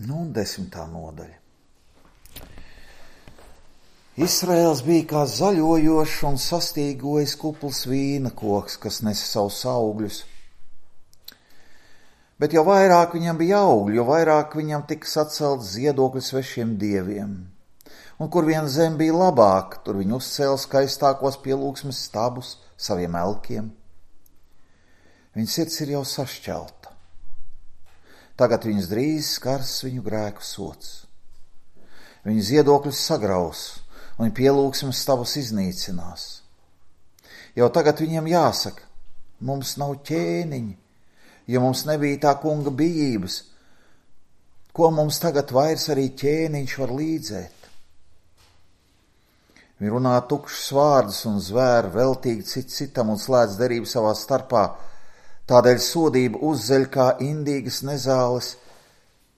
Un 10. nodaļa. Izraēls bija kā zaļojošs un sastīgojis kupls vīna koks, kas nesa savus augļus. Bet jo vairāk viņam bija augļu, jo vairāk viņam tika sacelts ziedokļu svešiem dieviem. Un kur vien zem bija labāk, tur viņi uzcēla skaistākos pielūgsmes stabus saviem elkiem. Viņa sirds ir jau sašķelta. Tagad viņus drīz skars viņu grēku sods. Viņu ziedokļus sagraus, un pielūgsmes stabus iznīcinās. Jau tagad viņiem jāsaka, mums nav ķēniņi, jo mums nebija tā kunga bijības, ko mums tagad vairs arī ķēniņš var līdzēt. Viņi runā tukšus vārdus un zvēr veltīgi citam un slēdz derību savā starpā. Tādēļ sodība uzzeļ kā indīgas nezāles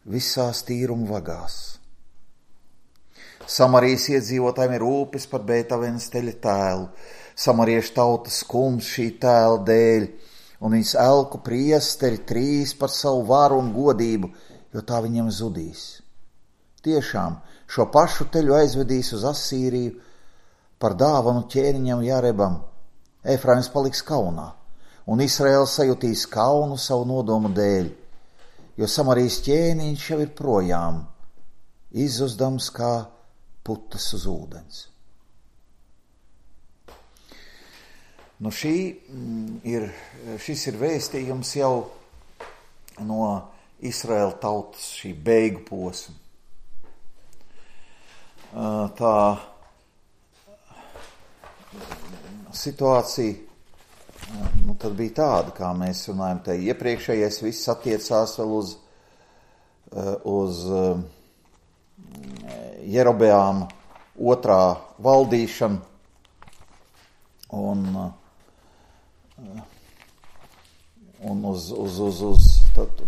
visās tīruma vagās. Samarijas iedzīvotājiem ir rūpes par Bētavenas teļa tēlu. Samariešu tauta skums šī tēla dēļ, un viņas elku priesteri trīs par savu varu un godību, jo tā viņiem zudīs. Tiešām šo pašu teļu aizvedīs uz Asīriju par dāvanu ķēniņam Jarebam. Efraims paliks kaunā, un Israēls sajutīs kaunu savu nodomu dēļ, jo Samarijas ķēniņš jau ir projām, izzuzdams kā putas uz ūdens. Nu šis ir vēstījums jau no Israēla tautas šī beigu posma. Tā situācija tad bija tāda, kā mēs runājam, te iepriekšējais viss attiecās vēl uz Jerobeāma otrā valdīšanu, un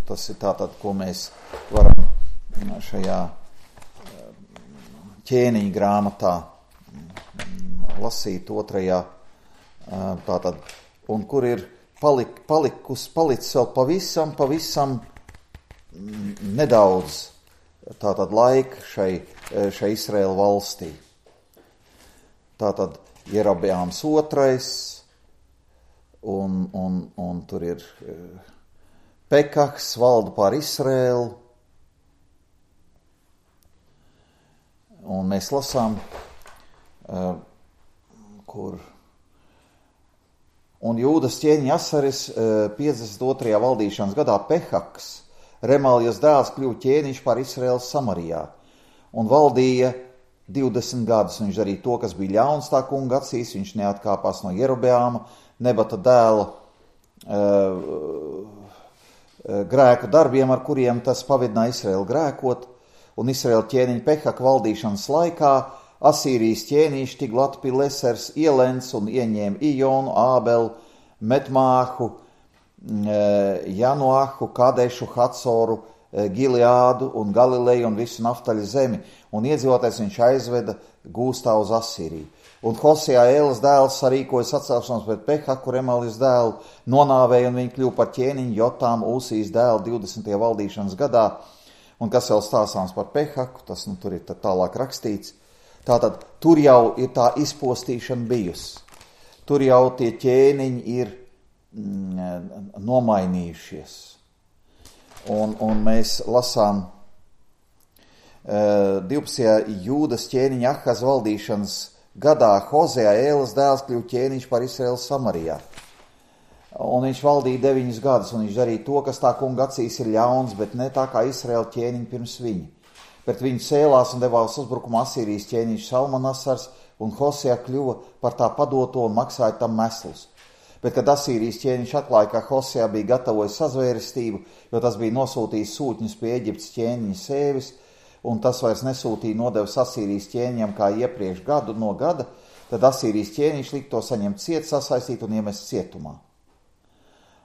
tas ir tātad, ko mēs varam šajā ķēniņa grāmatā lasīt otrajā, tātad, un kur ir palicis vēl pavisam nedaudz tātad laika šai Izraēla valstī. Tātad Jerobeāms otrais, un tur ir Pekahs valda pār Izraēlu, un mēs lasām, kur un Jūdas ķēniņa Asaris 52. valdīšanas gadā Pehaks, Remaljas dēls, kļuva ķēniņš pār Izraēlu Samarijā un valdīja 20 gadus. Viņš darīja to, kas bija ļauns tā kunga acīs, viņš neatkāpās no Jerobeāma, Nebata dēla grēku darbiem, ar kuriem tas pavidināja Izraēlu grēkot, un Izraēla ķēniņa Pehaka valdīšanas laikā Asīrijas ķēniņš Tiglat-Pilesers ielens un ieņēma Ijonu, Ābelu, Metmāhu, Janoahu, Kadešu, Hatsoru, Gileādu un Galileju un visu Naftaļa zemi, un iedzīvotājs viņš aizveda gūstā uz Asīriju. Un Hosejā Ēlas dēls sarīkoja sacelšanos pret Pehaku, Remaljas dēlu, nonāvēja, un viņi kļuva par ķēniņu Jotāmu, Uzijas dēlu 20. valdīšanas gadā. Un kas vēl stāstāms par Pehaku, tas tur ir tālāk rakstīts. Tātad tur jau ir tā izpostīšana bijusi. Tur jau tie ķēniņi ir nomainījušies. Un mēs lasām 12. Jūdas ķēniņa Ahaz valdīšanas gadā Hozejā Ēlas dēls kļuva ķēniņš par Izraēlu Samarijā. Un viņš valdīja 9 gadus, un viņš darīja to, kas tā kunga acīs ir ļauns, bet ne tā kā Izraēla ķēniņi pirms viņa. Pret viņu cēlās un devās uzbrukumu Asīrijas ķēniņš Salmanasars, un Hosejā kļuva par tā padoto un maksāja tam meslus. Bet, kad Asīrijas ķēniņš atklāja, ka Hosejā bija gatavojis sazvērestību, jo tas bija nosūtījis sūtņus pie Eģiptes ķēniņa Sēvis, un tas vairs nesūtīja nodevas Asīrijas ķēniņam kā iepriekš gadu no gada, tad Asīrijas ķēniņš lika to saņemt ciet, sasaistīt un iemest cietumā.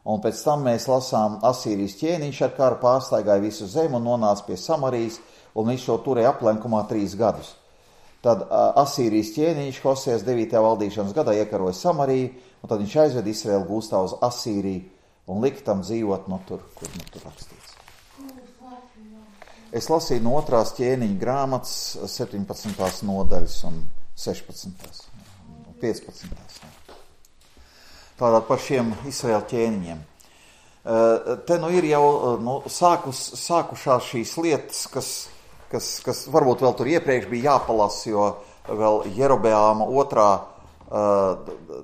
Un pēc tam mēs lasām, Asīrijas ķēniņš ar karu pārstaigāja visu zemi un nonāca pie Samarijas, un viņš šo turēja aplenkumā 3 gadus. Tad Asīrijas ķēniņš Hosejas 9. valdīšanas gadā iekaroja Samariju, un tad viņš aizved Izraēlu gūstā uz Asīriju un lika tam dzīvot no tur, kur tur rakstīts. Es lasīju no 2. ķēniņa grāmatas 17. nodaļas un 16. 15. Tātad par šiem Izraēla ķēniņiem. Te ir jau sākušās šīs lietas, kas varbūt vēl tur iepriekš bija jāpalasa, jo vēl Jerobeāma otrā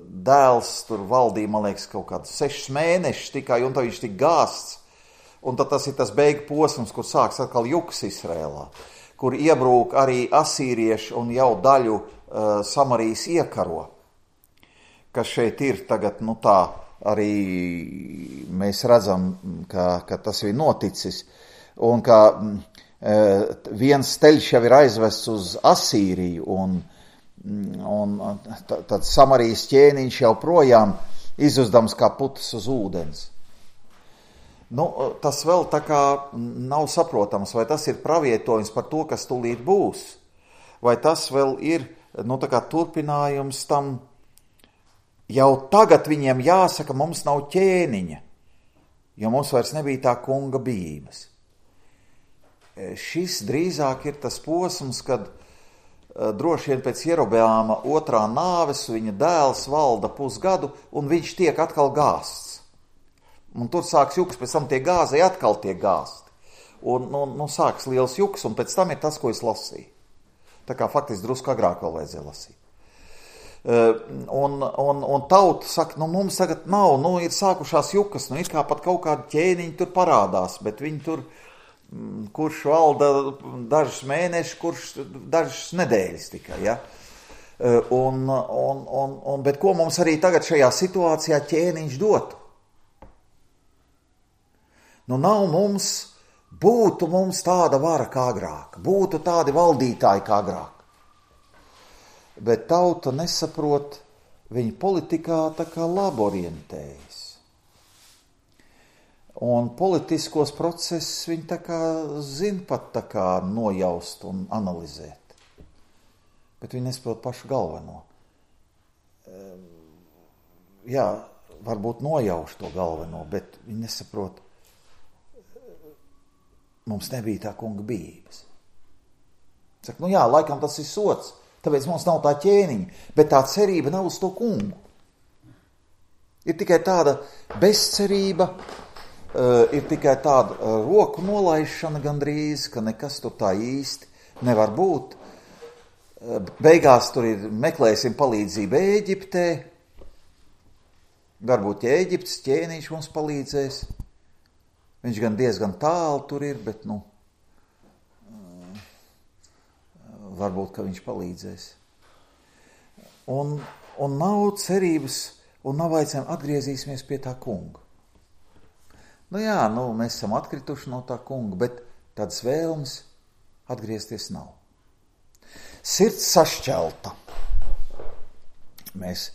dēls tur valdīja, man liekas, kaut kādus 6 mēnešus tikai, un tad viņš tik gāsts. Un tad tas ir tas beigu posms, kur sāks atkal juks Izrēlā, kur iebrūk arī asīrieši un jau daļu Samarijas iekaro, kas šeit ir tagad, tā arī mēs redzam, ka tas ir noticis, un ka viens teļš jau ir aizvests uz Asīriju, un un tad Samarijas ķēniņš jau projām izuzdams kā putas uz ūdens. Tas vēl tā kā nav saprotams, vai tas ir pravietojums par to, kas tūlīt būs, vai tas vēl ir tā kā turpinājums tam. Jau tagad viņiem jāsaka, mums nav ķēniņa, jo mums vairs nebija tā kunga bijības. Šis drīzāk ir tas posms, kad droši vien pēc Jerobeāma otrā nāves viņa dēls valda pusgadu, un viņš tiek atkal gāsts. Un tur sāks juks, pēc tam tie gāzei atkal tiek gāsti. Un sāks liels juks, un pēc tam ir tas, ko es lasīju. Tā kā faktiski drusku agrāk vēl vajadzēja lasīt. Un tauta saka, mums tagad nav, ir sākušās jukas, it kā pat kaut kādi ķēniņi tur parādās, bet viņi tur, kurš valda dažus mēnešus, kurš dažas nedēļas tikai, ja? Bet ko mums arī tagad šajā situācijā ķēniņš dotu? Būtu mums tāda vara kā agrāk, būtu tādi valdītāji kā agrāk. Bet tauta nesaprot, viņa politikā tā kā labi orientējas. Un politiskos procesus viņi tā kā zina pat tā kā nojaust un analizēt. Bet viņi nesaprot pašu galveno. Jā, varbūt nojauš to galveno, bet viņi nesaprot, mums nebija tā kunga bijības. Saka, laikam tas ir sots, tāpēc mums nav tā ķēniņa, bet tā cerība nav uz to kungu. Ir tikai tāda bezcerība, ir tikai tāda roku nolaišana gandrīz, ka nekas tur tā īsti nevar būt. Beigās tur ir meklēsim palīdzību Ēģiptē, varbūt Ēģiptes ķēniņš mums palīdzēs. Viņš gan diezgan tālu tur ir, bet varbūt, ka viņš palīdzēs. Un nav cerības, un nav aicinājumu atgriezīsimies pie tā kunga. Mēs esam atkrituši no tā kunga, bet tādas vēlmes atgriezties nav. Sirds sašķelta. Mēs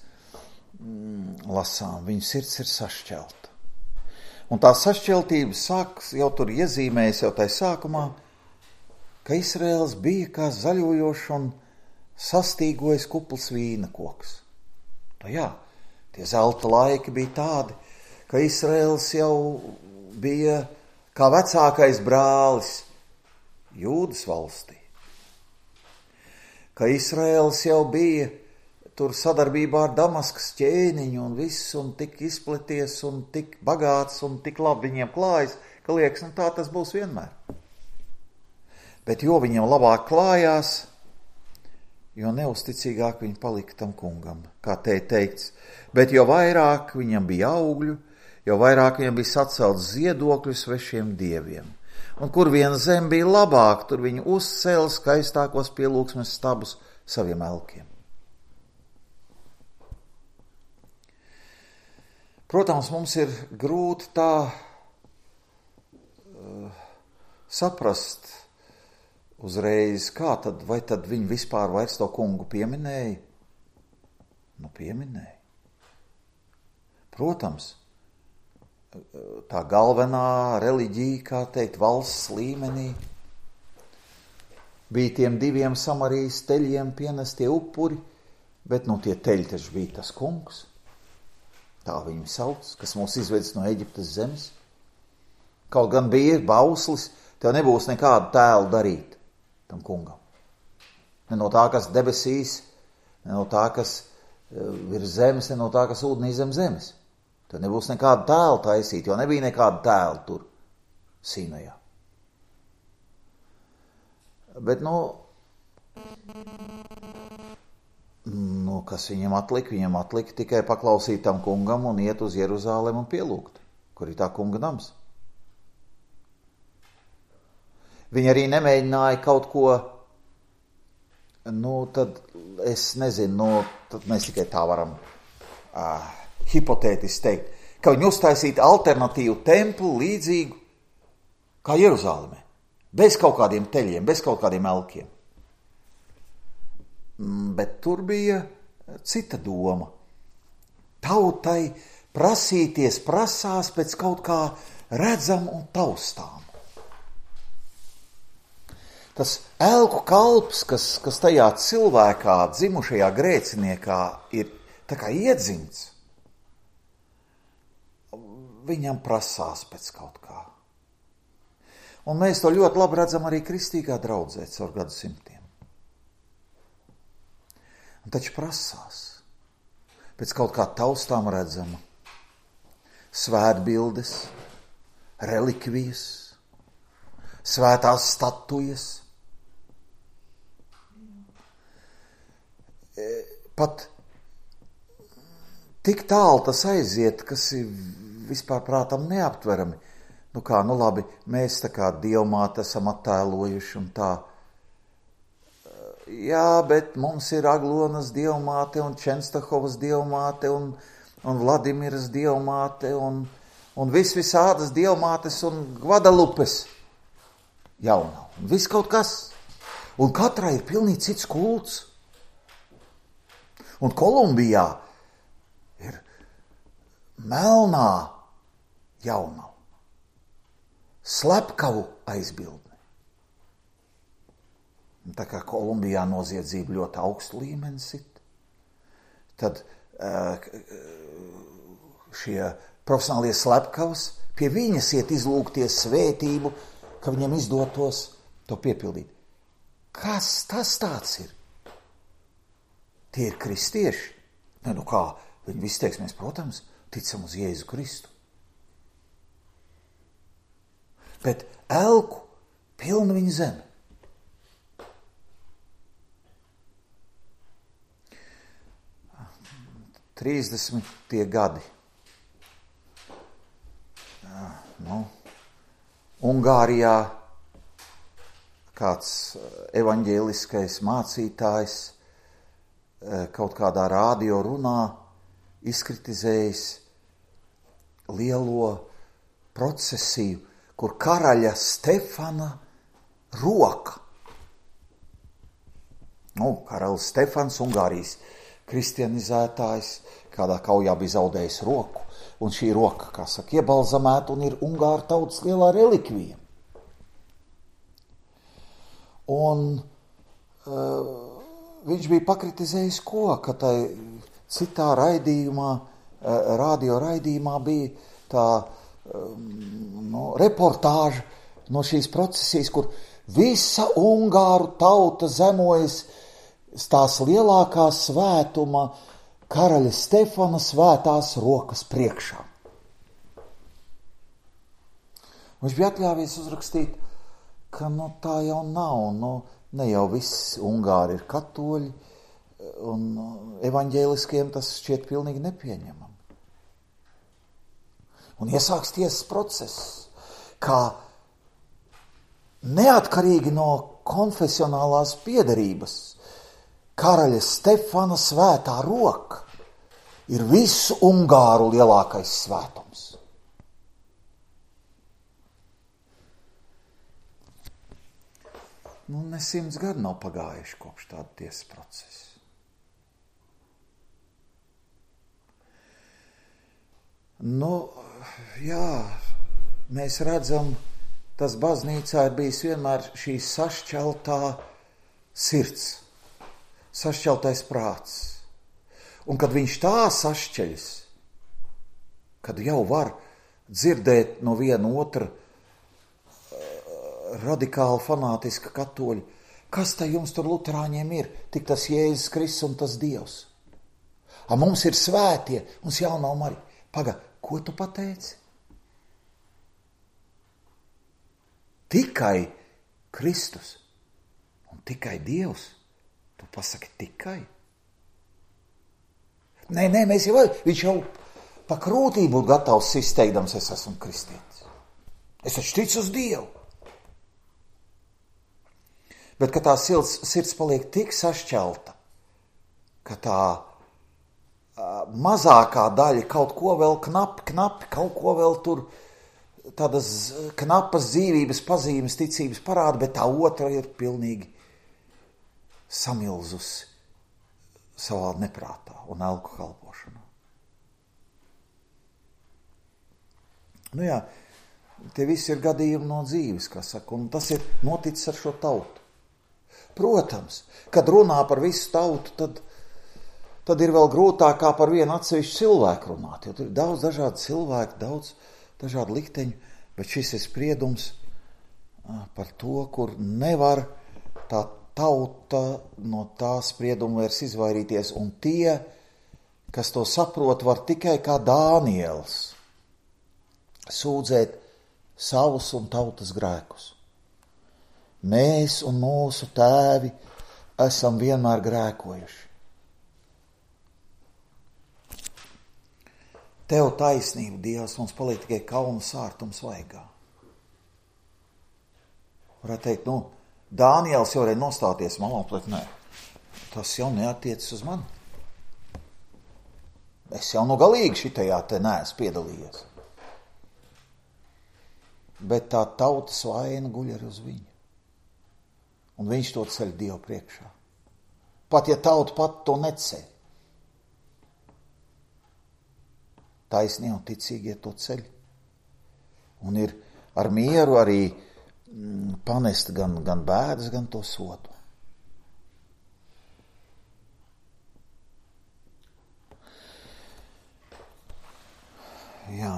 lasām, viņu sirds ir sašķelta. Un tā sašķeltība sāks jau tur iezīmējas jau tai sākumā, ka Izraēls bija kā zaļojošs un sastīgojis kupls vīna koks. Tie zelta laiki bija tādi, ka Izraēls jau bija kā vecākais brālis Jūdas valstī. Ka Izraēls jau bija tur sadarbībā ar Damaskas ķēniņu un viss, un tik izplaties, un tik bagāts, un tik labi viņiem klājas, ka liekas, tā tas būs vienmēr. Bet jo viņiem labāk klājās, jo neusticīgāk viņi palika tam kungam, kā te teikts. Bet jo vairāk viņam bija augļu, jo vairāk viņam bija sacelts ziedokļu svešiem dieviem. Un kur vien zem bija labāk, tur viņi uzcēla skaistākos pielūgsmes stabus saviem elkiem. Protams, mums ir grūti tā saprast uzreiz, vai tad viņi vispār vairs to kungu pieminēja? Pieminēja. Protams, tā galvenā reliģija, kā teikt, valsts līmenī, bija tiem 2 Samarijas teļiem pienestie upuri, bet tie teļi taču bija tas kungs. Tā viņu sauc, kas mūs izvedis no Eģiptes zemes. Kaut gan bija bauslis, tev nebūs nekādu tēlu darīt tam kungam. Ne no tā, kas debesīs, ne no tā, kas virs zemes, ne no tā, kas ūdenī zem zemes. Tev nebūs nekādu tēlu taisīt, jo nebija nekādu tēlu tur Sinajā. Bet, kas viņam atlika? Viņam atlika tikai paklausīt tam kungam un iet uz Jeruzālemi un pielūgt, kur ir tā kunga nams. Viņi arī nemēģināja kaut ko, tad es nezinu, tad mēs tikai tā varam hipotētiski teikt, ka viņi uztaisītu alternatīvu templi līdzīgu kā Jeruzālemē, bez kaut kādiem teļiem, bez kaut kādiem elkiem. Bet tur bija cita doma. Tautai prasās pēc kaut kā redzam un taustām. Tas elku kalps, kas tajā cilvēkā, dzimušajā grēciniekā ir tā kā iedzimts, viņam prasās pēc kaut kā. Un mēs to ļoti labi redzam arī kristīgā draudzē caur gadsimtiem. Un taču prasās pēc kaut kā taustām redzama, svētbildes, relikvijas, svētās statujas. Pat tik tālu tas aiziet, kas ir vispār prātam neaptverami. Labi, mēs tā kā dievmāte esam attēlojuši un tā. Jā, bet mums ir Aglonas dievmāte un Čenstahovas dievmāte un Vladimiras dievmāte un visādas dievmātes un Gvadalupes jaunā. Un viss kaut kas. Un katrai ir pilnīgi cits kults. Un Kolumbijā ir melnā jaunā. Slepkavu aizbildne. Un tā kā Kolumbijā noziedzība ļoti augstu līmeni sit, tad šie profesionālie slepkavas pie viņas iet izlūgties svētību, ka viņam izdotos to piepildīt. Kas tas tāds ir? Tie ir kristieši. Kā? Viņi visi teiks, mēs, protams, ticam uz Jēzu Kristu. Bet elku pilna viņa zeme. Trīsdesmitie gadi. Ungārijā kāds evaņģēliskais mācītājs kaut kādā rādio runā izkritizējis lielo procesiju, kur karaļa Stefana roka. Karalis Stefans, Ungārijas kristianizētājs, kādā kaujā bija zaudējis roku, un šī roka, kā saka, iebalzamēta un ir Ungāru tautas lielā relikvija. Un viņš bija pakritizējis ko, ka tai citā raidījumā, radio raidījumā bija tā reportāža no šīs procesijas, kur visa Ungāru tauta zemojas tās lielākā svētuma karaļa Stefana svētās rokas priekšā. Viņš bija atļāvies uzrakstīt, ka tā jau nav, ne jau visi Ungāri ir katoļi, un evaņģēliskiem tas šķiet pilnīgi nepieņemam. Un iesāks tiesas process, kā neatkarīgi no konfesionālās piederības karaļa Stefana svētā roka ir visu Ungāru lielākais svētums. Ne 100 gadi nav pagājuši kopš tāda tiesas procesa. Mēs redzam, tas baznīcā ir bijis vienmēr šī sašķeltā sirds, sašķeltais prāts. Un kad viņš tā sašķeļas, kad jau var dzirdēt no viena otra radikāli fanātiska katoļa, kas tā jums tur luterāņiem ir, tik tas Jēzus Kristus un tas Dievs. Mums ir svētie, mums jaunā Marija. Ko tu pateici? Tikai Kristus un tikai Dievs. Tu pasaki tikai. Nē, viņš jau pa krūtību būtu gatavs izteikdams, es esmu kristietis. Es taču ticu uz Dievu. Bet, ka tā sirds paliek tik sašķelta, ka tā mazākā daļa kaut ko vēl knapi, kaut ko vēl tur tādas knapas dzīvības pazīmes, ticības parāda, bet tā otra ir pilnīgi samilzusi savā neprātā un elku kalpošanā. Nu jā, tie visi ir gadījumi no dzīves, kā saka, un tas ir noticis ar šo tautu. Protams, kad runā par visu tautu, tad ir vēl grūtāk kā par vienu atsevišķu cilvēku runāt, jo tur ir daudz dažādu cilvēku, daudz dažādu likteņu, bet šis ir spriedums par to, kur nevar tā tauta no tā sprieduma vairs izvairīties, un tie, kas to saprot, var tikai kā Dāniels sūdzēt savus un tautas grēkus. Mēs un mūsu tēvi esam vienmēr grēkojuši. Tev taisnība, Dievs, mums paliek tikai kauna sārtums vaigā. Varētu teikt, Dāniels jau varēja nostāties malā, bet nē, tas jau neatiecas uz mani. Es jau galīgi šitajā te neesmu piedalījies. Bet tā tautas vaina guļ arī uz viņu. Un viņš to ceļ Dievu priekšā. Pat ja tauta pat to neceļ. Taisnie un ticīgie to ceļ. Un ir ar mieru arī panest gan bēdas, gan to sodu. Jā.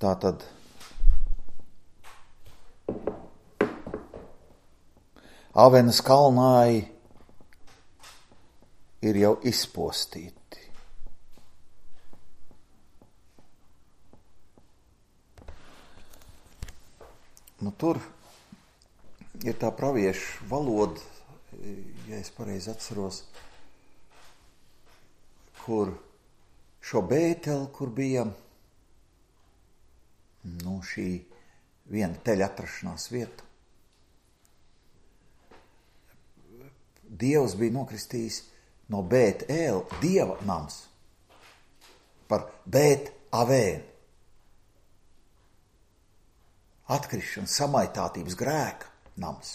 Tātad Avenas kalnāji ir jau izpostīti. Tur ir tā praviešu valoda, ja es pareizi atceros, kur šo Bēteli, kur bija šī viena teļa atrašanās vieta. Dievs bija nokristījis no Bētēl, Dieva nams, par Bētavēnu. Atkrišana, samaitātības grēka nams.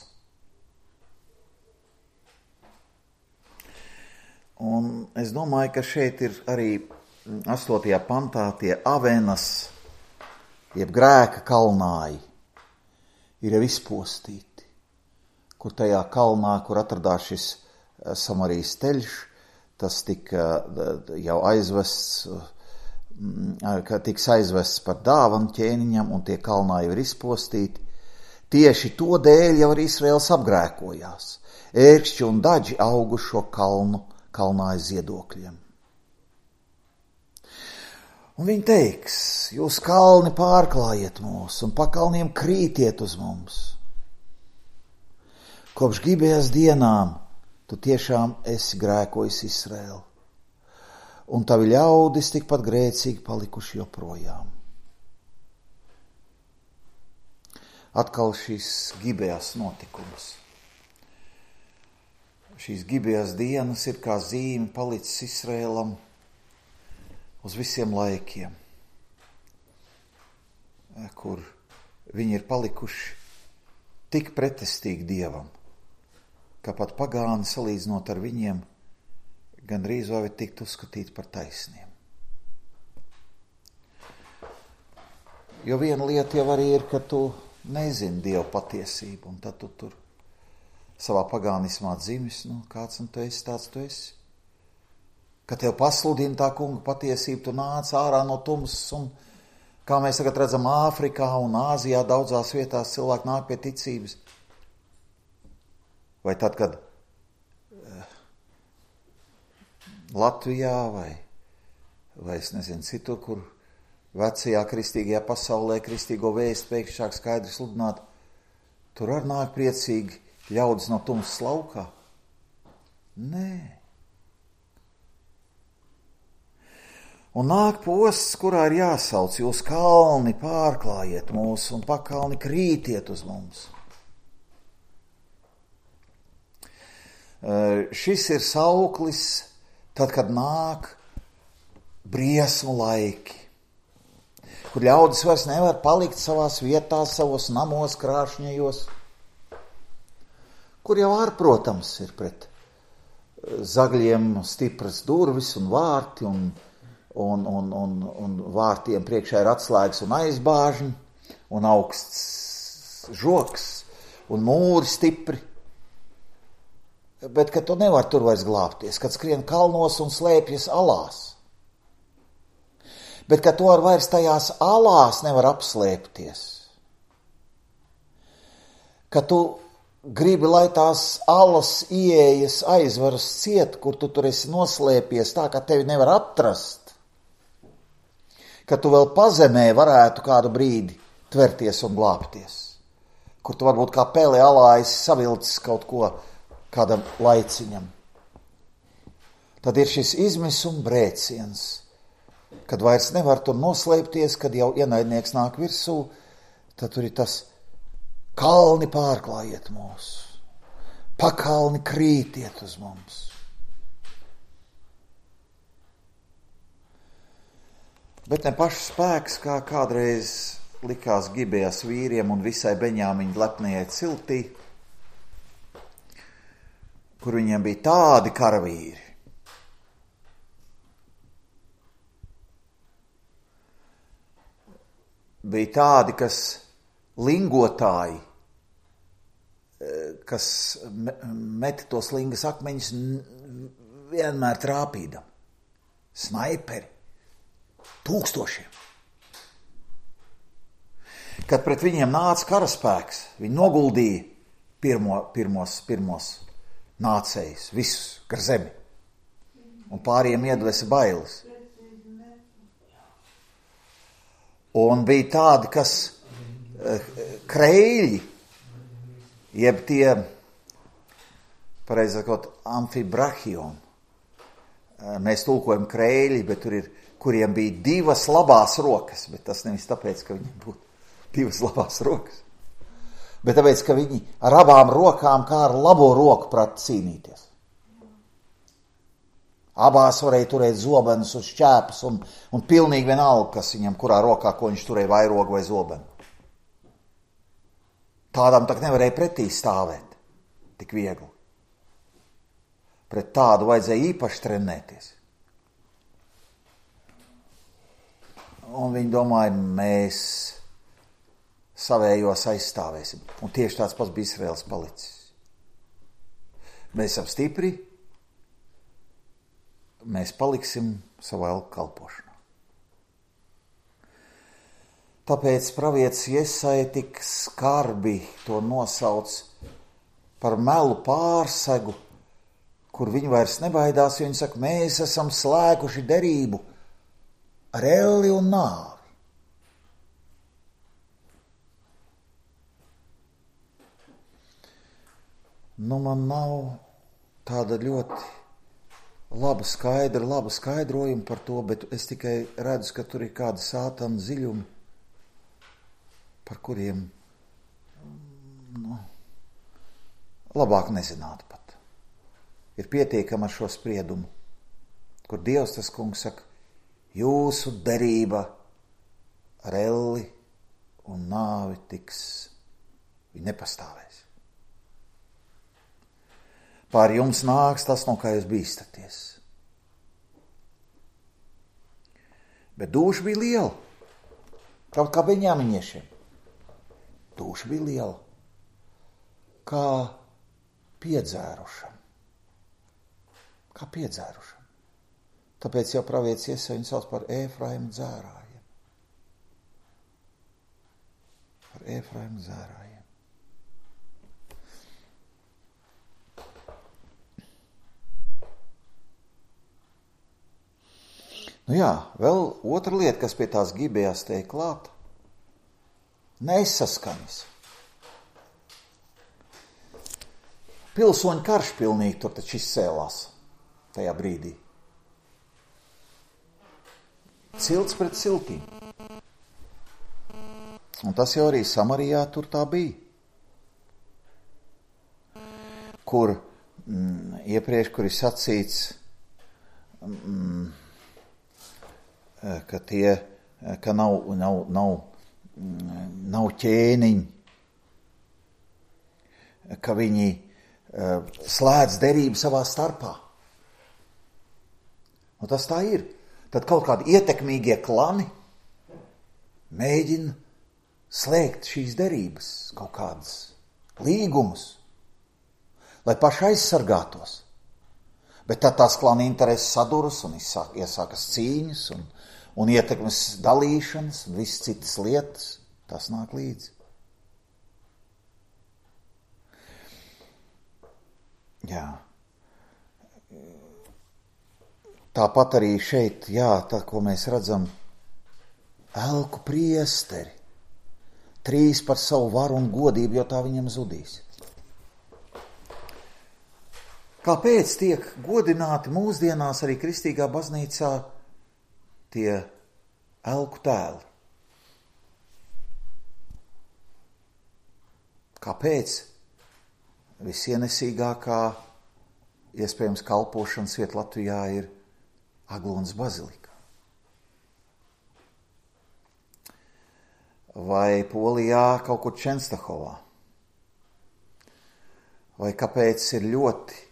Un es domāju, ka šeit ir arī 8. pantā tie Avenas, jeb grēka kalnāji, ir jau izpostīti, kur tajā kalnā, kur atradās šis Samarijas teļš, tas tika jau aizvests, ka tiks aizvests par dāvanu ķēniņam, un tie kalnāji ir izpostīti. Tieši to dēļ jau arī Izraels apgrēkojās. Ērkšķi un daģi augu šo kalnāju ziedokļiem. Un viņi teiks, jūs kalni pārklājiet mūs un pa kalniem krītiet uz mums. Kopš Gibejas dienām tu tiešām esi grēkojis Izraēlu, un tavi ļaudis tikpat grēcīgi palikuši joprojām. Atkal šīs Gibejas notikums. Šīs Gibejas dienas ir kā zīme palicis Izraēlam uz visiem laikiem, kur viņi ir palikuši tik pretestīgi Dievam, ka pat pagāni salīdzinot ar viņiem gandrīz vai tikt uzskatīti par taisniem. Jo viena lieta jau arī ir, ka tu nezini Dievu patiesību, un tad tu tur savā pagānismā dzimis, kāds un tu esi, tāds tu esi. Kad tev pasludina tā kunga patiesība, tu nāc ārā no tumsas, un kā mēs tagad redzam Āfrikā un Āzijā daudzās vietās cilvēki nāk pie ticības. Vai tad, kad Latvijā vai es nezinu citur, kur vecajā kristīgajā pasaulē kristīgo vēstu pēkšņi sāk skaidri sludināt, tur arī nāk priecīgi ļaudis no tumsas laukā? Nē. Un nāk posts, kurā ir jāsauc, jūs kalni pārklājiet mūs un pakalni krītiet uz mums. Šis ir sauklis tad, kad nāk briesmu laiki, kur ļaudis vairs nevar palikt savās vietās, savos namos krāšņajos, kur jau protams, ir pret zagļiem stipras durvis un vārti, un vārtiem priekšā ir atslēgas un aizbāžņi, un augsts žoks, un mūri stipri. Bet, ka tu nevar tur vairs glābties, kad skrien kalnos un slēpjas alās. Bet, ka tu vairs tajās alās nevar apslēpties. Ka tu gribi, lai tās alas ieejas aizvaras ciet, kur tu tur esi noslēpies, tā, ka tevi nevar atrast. Ka tu vēl pazemē varētu kādu brīdi tverties un glābties. Kur tu varbūt kā pele alā esi savilcis kaut ko kādam laiciņam. Tad ir šis izmisuma brēciens, kad vairs nevar tur noslēpties, kad jau ienaidnieks nāk virsū, tad tur ir tas kalni pārklājiet mūs, pakalni krītiet uz mums. Bet ne pašs spēks, kā kādreiz likās Gibejas vīriem un visai Beņāmiņa lepnajai ciltī, kur viņiem bija tādi karavīri. Bija tādi, kas lingotāji, kas meta tos lingas akmeņus vienmēr trāpīdam. Snaiperi. Tūkstošiem. Kad pret viņiem nāca karaspēks, viņi noguldīja pirmos nācējus, visus gar zemi. Un pāriem iedvesa bailes. Un bija tādi, kas kreļi, jeb tie, pareizi sakot, amfibrahioni. Mēs tulkojam kreļi, bet tur ir, kuriem bija divas labās rokas, bet tas nevis tāpēc, ka viņiem būtu divas labās rokas, bet tāpēc, ka viņi ar abām rokām kā ar labo roku prata cīnīties. Abās varēja turēt zobenus un šķēpus un pilnīgi vienalga, kas viņam, kurā rokā, ko viņš turēja, vairogu vai zobenu. Tādam tak nevarēja pretī stāvēt tik viegli. Pret tādu vajadzēja īpaši trenēties. Un viņi domāja, mēs savējos aizstāvēsim. Un tieši tāds pats bija Izraels palicis. Mēs esam stipri, mēs paliksim savā elku kalpošanā. Tāpēc pravietis Jesaja tik skarbi to nosauc par melu pārsegu, kur viņi vairs nebaidās, jo viņi saka, mēs esam slēguši derību ar elli un nāvi. Man nav tāda ļoti laba skaidrojuma par to, bet es tikai redzu, ka tur ir kādi sātana ziļumi, par kuriem labāk nezināt pat. Ir pietiekami ar šo spriedumu, kur Dievs tas kungs saka, jūsu derība ar elli un nāvi tiks, viņi nepastāvēs. Pār jums nāks tas, no kā jūs bīstaties. Bet dūša bija liela, kaut kā beņāmiņiešiem. Dūša bija liela, kā piedzērušam. Tāpēc jau pravietis Jesaja viņu sauc par Ēfraimu dzērājiem. Vēl otra lieta, kas pie tās Gibejas tiek klāta. Nesaskaņas. Pilsoņu karš pilnīgi tur taču izcēlās tajā brīdī. Cilts pret ciltīm. Un tas jau arī Samarijā tur tā bija. Kur iepriekš, kur ir sacīts, ka nav ķēniņi, ka viņi slēdz derību savā starpā. Un tas tā ir. Tad kaut kādi ietekmīgie klani mēģina slēgt šīs derības, kaut kādas līgumus, lai paši aizsargātos. Bet tad tās klana intereses saduras un iesākas cīņas un ietekmes dalīšanas un visas citas lietas. Tas nāk līdzi. Jā. Tāpat arī šeit, tā, ko mēs redzam, elku priesteri. 3 par savu varu un godību, jo tā viņam zudīs. Kāpēc tiek godināti mūsdienās arī kristīgā baznīcā tie elku tēli? Kāpēc visienesīgākā iespējams kalpošanas vieta Latvijā ir Aglonas bazilika? Vai Polijā kaut kur Čenstahovā? Vai kāpēc ir ļoti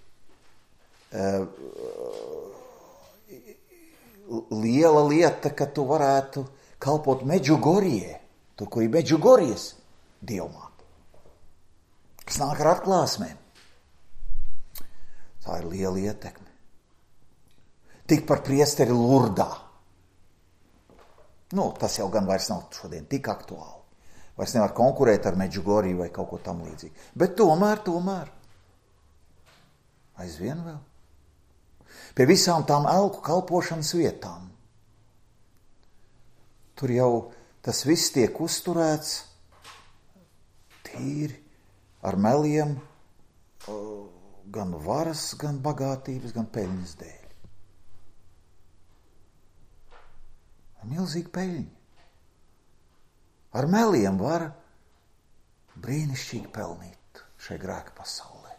liela lieta, ka tu varētu kalpot Medžugorijai, tur, kur ir Medžugorijas dievmāte, kas nāk ar atklāsmēm. Tā ir liela ietekme. Tik par priesteri Lurdā. Tas jau gan vairs nav šodien tik aktuāli. Vairs nevar konkurēt ar Medžugoriju vai kaut ko tam līdzīgi. Bet tomēr aizvien vēl. Pie visām tām elku kalpošanas vietām. Tur jau tas viss tiek uzturēts tīri ar meliem, gan varas, gan bagātības, gan peļņas dēļ. Milzīgi peļņi. Ar meliem var brīnišķīgi pelnīt šai grēka pasaulē.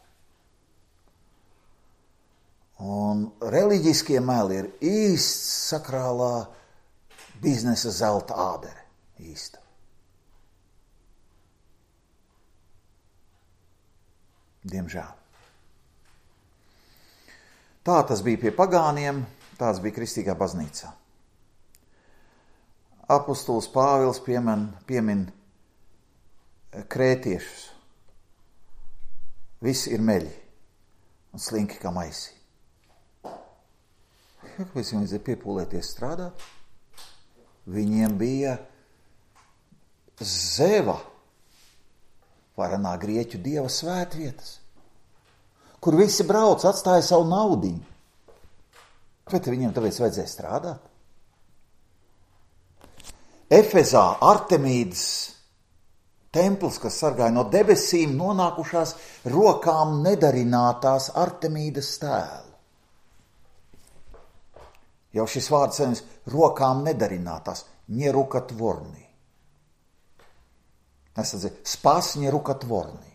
Un reliģiskie meli ir īsts sakrālā biznesa zelta ādere. Īsta. Diemžēl. Tā tas bija pie pagāniem, tāds bija kristīgā baznīcā. Apostols Pāvils piemin krētiešus. Visi ir meļi un slinki kā maisi. Kāpēc viņiem vajadzēja piepūlēties strādāt? Viņiem bija Zeva, varenā grieķu dieva svētvietas, kur visi brauc, atstāja savu naudiņu. Bet viņiem tāpēc vajadzēja strādāt. Efezā Artemīdas templis, kas sargāja no debesīm nonākušās rokām nedarinātās Artemīdas tēlu. Jau šis vārds saņems rokām nedarinātās, ņerukatvornī. Spās ņerukatvornī.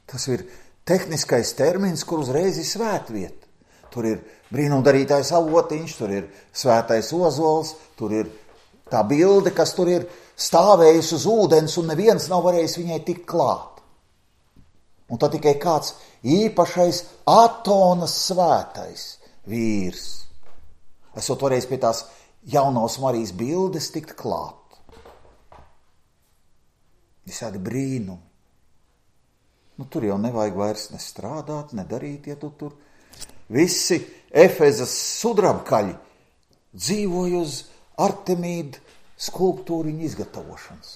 Tas ir tehniskais termins, kur uzreiz ir svētvieta. Tur ir brīnumdarītājs avotiņš, tur ir svētais ozols, tur ir tā bilde, kas tur ir stāvējusi uz ūdens un neviens nav varējis viņai tikt klāt. Un tad tikai kāds īpašais Atonas svētais vīrs, esot varējis pie tās jaunās Marijas bildes tikt klāt. Visādi brīnumi. Tur jau nevajag vairs nestrādāt, nedarīt, ja tu tur. Visi Efezas sudrabkaļi dzīvoja uz Artemīda skulptūriņu izgatavošanas.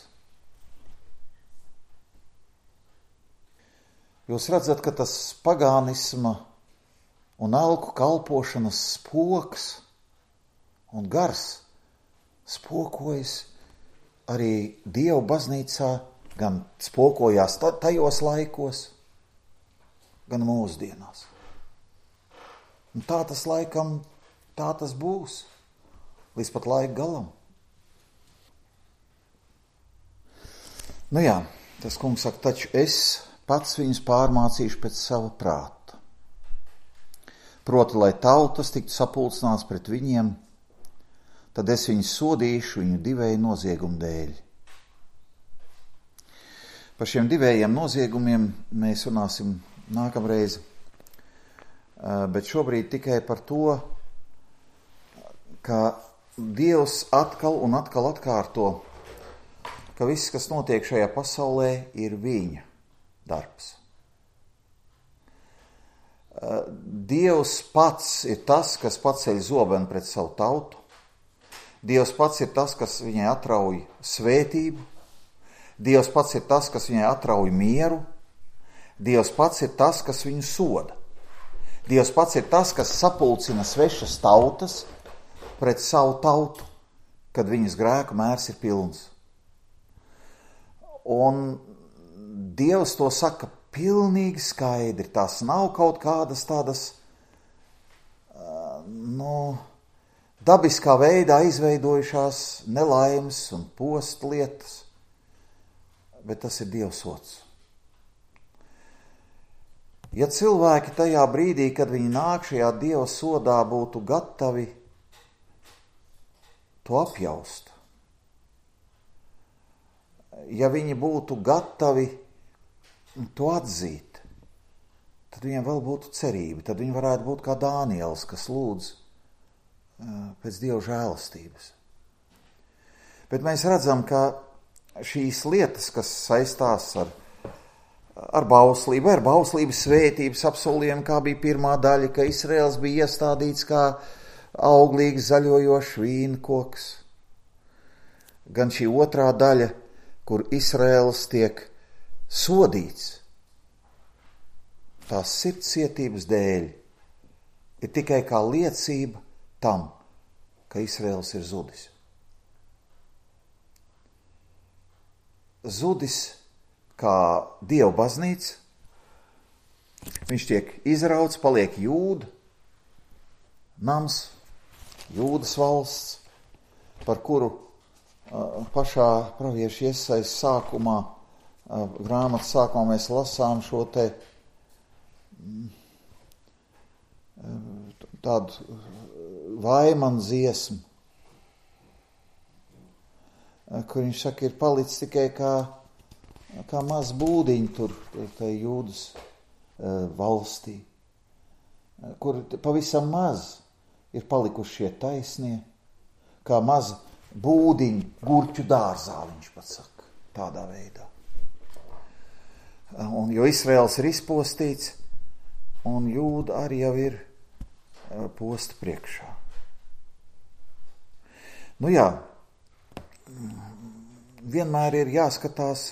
Jūs redzat, ka tas pagānisma un elku kalpošanas spoks un gars spokojas arī Dieva baznīcā, gan spokojās tajos laikos, gan mūsdienās. Un tā tas laikam, tā tas būs, līdz pat laika galam. Tas kungs saka, taču es pats viņus pārmācīšu pēc sava prāta. Proti, lai tautas tiktu sapulcināts pret viņiem, tad es viņus sodīšu viņu divēju noziegumu dēļ. Par šiem divējiem noziegumiem mēs runāsim nākamreiz, bet šobrīd tikai par to, ka Dievs atkal un atkal atkārto, ka viss, kas notiek šajā pasaulē, ir viņa darbs. Dievs pats ir tas, kas paceļ zobenu pret savu tautu. Dievs pats ir tas, kas viņai atrauj svētību. Dievs pats ir tas, kas viņai atrauj mieru. Dievs pats ir tas, kas viņu soda. Dievs pats ir tas, kas sapulcina svešas tautas pret savu tautu, kad viņas grēku mērs ir pilns. Un Dievs to saka pilnīgi skaidri. Tās nav kaut kādas tādas, dabiskā veidā izveidojušās nelaimes un postu lietas, bet tas ir Dieva sods. Ja cilvēki tajā brīdī, kad viņi nāk šajā Dieva sodā, būtu gatavi to apjaust, ja viņi būtu gatavi to atzīt, tad viņiem vēl būtu cerība, tad viņi varētu būt kā Dāniels, kas lūdz pēc Dieva žēlastības. Bet mēs redzam, ka šīs lietas, kas saistās ar bauslību, ar bauslības svētības apsolījumu, kā bija pirmā daļa, ka Izraels bija iestādīts kā auglīgs zaļojošs vīnkoks, gan šī otrā daļa, kur Izraels tiek sodīts tās sirdscietības dēļ, ir tikai kā liecība tam, ka Izraels ir zudis. Zudis kā Dieva baznīca, viņš tiek izrauts, paliek Jūda nams, Jūdas valsts, par kuru pašā pravieša Iesajas sākumā, grāmatas sākumā mēs lasām šo te tādu vaimanu dziesmu, kur viņš saka, ir palicis tikai kā maz būdiņi tur tai Jūdas valstī, kur pavisam maz ir palikuši šie taisnie, kā maza būdiņi gurķu dārzā, viņš pat saka, tādā veidā. Un, jo Izraels ir izpostīts, un Jūda arī jau ir posta priekšā. Nu jā, vienmēr ir jāskatās,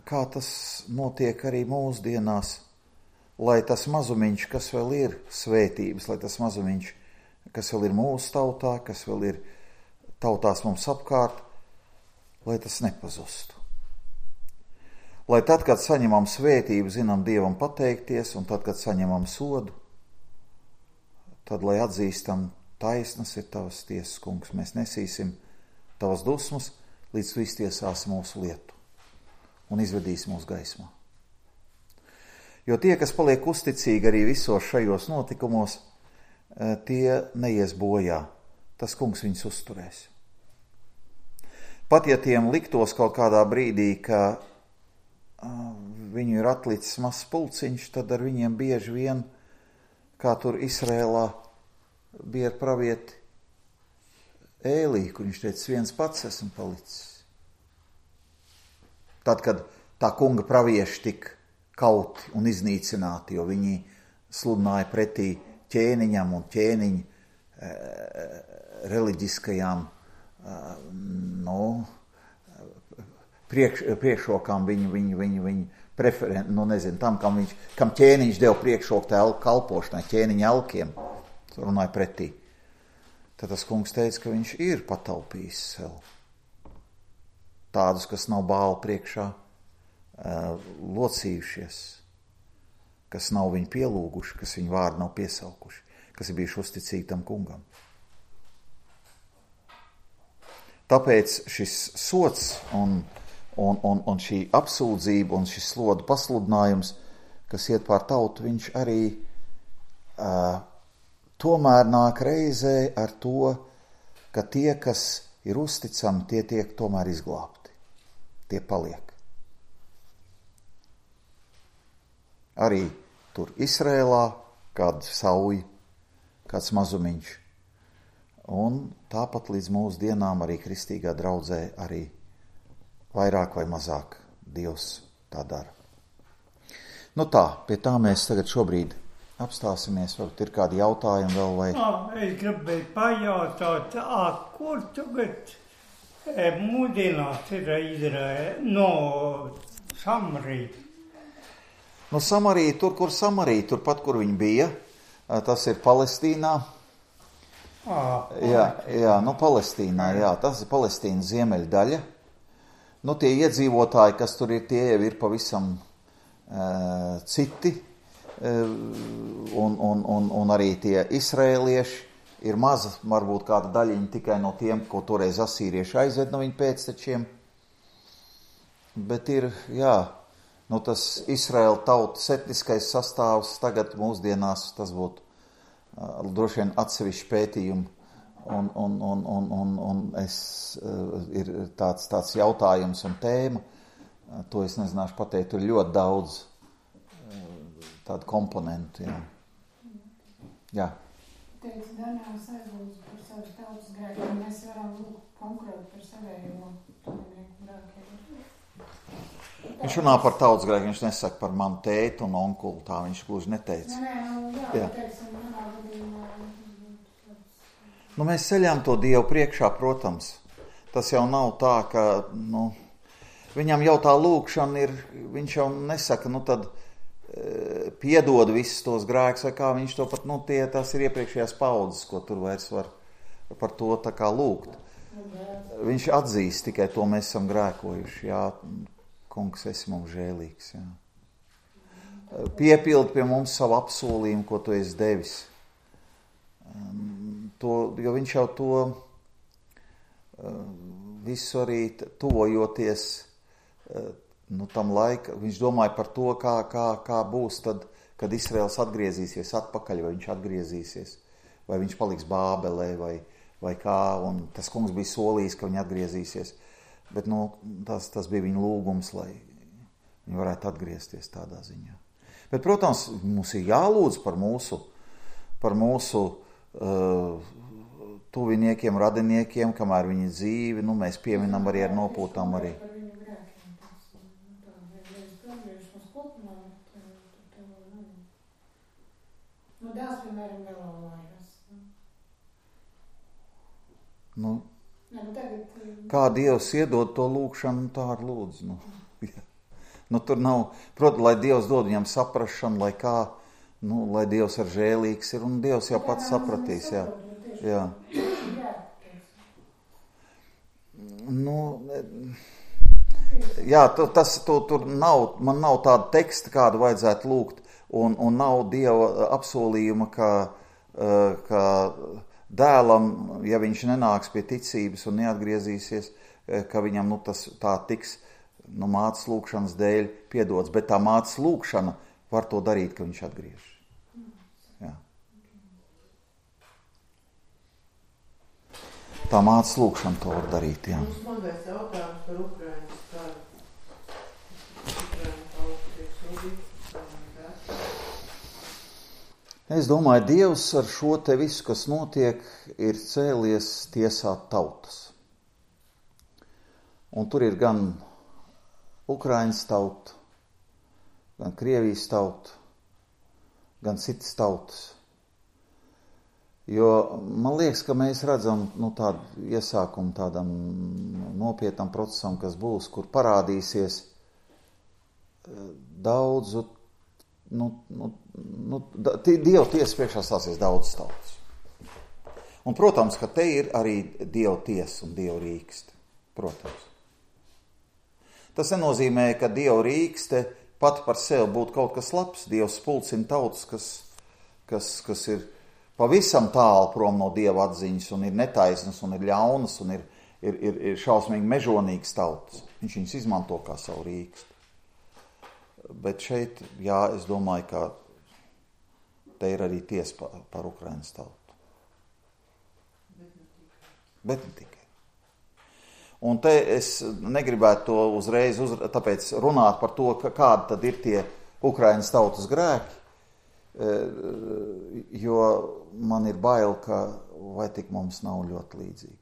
kā tas notiek arī mūsdienās, lai tas mazumiņš, kas vēl ir svētības, lai tas mazumiņš, kas vēl ir mūsu tautā, kas vēl ir tautās mums apkārt, lai tas nepazustu. Lai tad, kad saņemam svētību, zinām Dievam pateikties, un tad, kad saņemam sodu, tad, lai atzīstam, taisnas ir tavas tiesas, kungs, mēs nesīsim tavas dusmas, līdz tu iztiesāsi mūsu lietu un izvedīsi mūsu gaismā. Jo tie, kas paliek uzticīgi arī visos šajos notikumos, tie neies bojā. Tas kungs viņus uzturēs. Pat ja tiem liktos kaut kādā brīdī, ka viņu ir atlicis mazs pulciņš, tad ar viņiem bieži vien, kā tur Izrēlā bija ar pravieti Ēlī, kur viņš teica, viens pats esmu palicis. Tad, kad tā kunga pravieši tik kauti un iznīcināti, jo viņi sludināja pretī ķēniņam un ķēniņu reliģiskajām priekšrokām viņu preferenti, tam, kam ķēniņš deva priekšroku tā kalpošanai, ķēniņa elkiem, runāja pretī. Tad tas kungs teica, ka viņš ir pataupījis sev tādus, kas nav Bāla priekšā locījušies, kas nav viņu pielūguši, kas viņu vārdu nav piesaukuši, kas ir bijuši uzticīgi tam kungam. Tāpēc šis sods un šī apsūdzība un šis slodu pasludinājums, kas iet pār tautu, viņš arī tomēr nāk reizē ar to, ka tie, kas ir uzticami, tie tiek tomēr izglābti. Tie paliek. Arī tur Izrēlā kāda sauja, kāds mazumiņš. Un tāpat līdz mūsu dienām arī kristīgā draudzē arī vairāk vai mazāk Dievs tā dara. Nu tā, pie tā mēs tagad šobrīd apstāsimies, varbūt ir kādi jautājumi vēl vai...
Es gribēju pajautāt, kur tagad mūdienās ir Izraēla, no Samarija?
No Samarija, tur, kur Samarija, turpat, kur viņi bija, tas ir Palestīnā. Jā, nu Palestīnā, jā, tas ir Palestīnas ziemeļdaļa. Nu tie iedzīvotāji, kas tur ir, tie jau ir pavisam citi, un arī tie izraēlieši ir maza, varbūt kāda daļiņa tikai no tiem, ko toreiz asīrieši aizved no viņu pēctečiem. Bet ir, jā, nu tas Izraēla tautas etniskais sastāvs tagad mūsdienās, tas būtu droši vien atsevišķi pētījumi, un ir tāds jautājums un tēma, to es nezināšu pateikt, tur ļoti daudz tādu komponentu, jā. Jā.
Teicu, Daniels aizlūdzu par savas tautas grēkiem, mēs varam lūgt konkrēti par savējiem tuvinieku grēkiem.
Viņš runā par tautas grēkiem, viņš nesaka par manu tētu un onkulu, tā viņš gluži neteica.
Jā. Teiksim, manā gadījumā.
Nu, mēs ceļām to Dievu priekšā, protams. Tas jau nav tā, ka, viņam jau tā lūkšana ir, viņš jau nesaka, tad piedod visus tos grēkus, vai kā viņš to pat, tas ir iepriekšējās paudzes, ko tur vairs var par to tā kā lūgt. Viņš atzīst tikai to, mēs esam grēkojuši, jā, kungs, esi mums žēlīgs, jā. Piepildi pie mums savu apsolījumu, ko tu esi devis. Jo viņš jau to visu arī tuvojoties tam laika, viņš domāja par to, kā būs tad, kad Izraels atgriezīsies atpakaļ, vai viņš atgriezīsies, vai viņš paliks Bābelē, vai kā, un tas kungs bija solījis, ka viņi atgriezīsies, bet tas bija viņa lūgums, lai viņi varētu atgriezties tādā ziņā. Bet, protams, mums ir jālūdz par mūsu tuviniekiem, radiniekiem, kamēr viņi dzīvi, mēs pieminam arī ar nopūtām arī.
Dēls, piemēram, nelaulājās.
Kā Dievs iedod to lūkšanu, tā ar lūdzu. Tur nav, protams, lai Dievs dod viņam saprašanu, lai kā, lai Dievs ar žēlīgs ir, un Dievs jau pats sapratīs, jā. Jā. Jā, tur nav, man nav tāda teksta, kādu vajadzētu lūgt, un nav Dieva apsolījuma, ka dēlam, ja viņš nenāks pie ticības un neatgriezīsies, ka viņam tas tā tiks mātes lūkšanas dēļ piedots, bet tā mātes lūkšana var to darīt, ka viņš atgriež. Jā. Tā mātes lūkšana to var darīt, jā.
Mums mazais jautājums par Ukrainas karu.
Es domāju, Dievs ar šo te visu, kas notiek, ir cēlies tiesāt tautas. Un tur ir gan Ukrainas tauta, gan Krievijas tauta, gan citas tautas. Jo man liekas, ka mēs redzam tādu iesākumu tādam nopietnam procesam, kas būs, kur parādīsies daudzu, Dieva tiesa priekšā stāsies daudz tautas. Un, protams, ka te ir arī Dieva tiesa un Dieva rīkste. Protams. Tas nenozīmē, ka Dieva rīkste pat par sevi būtu kaut kas labs. Dievs pulcina tautas, kas ir pavisam tālu prom no Dieva atziņas un ir netaisnas un ir ļaunas un ir šausmīgi mežonīgas tautas. Viņš viņus izmanto kā savu rīksti. Bet šeit, jā, es domāju, ka te ir arī tiesa par Ukrainas tautu. Bet ne tikai. Un te es negribētu to uzreiz tāpēc runāt par to, kādi tad ir tie Ukrainas tautas grēki, jo man ir bail, ka vai tik mums nav ļoti līdzīgi.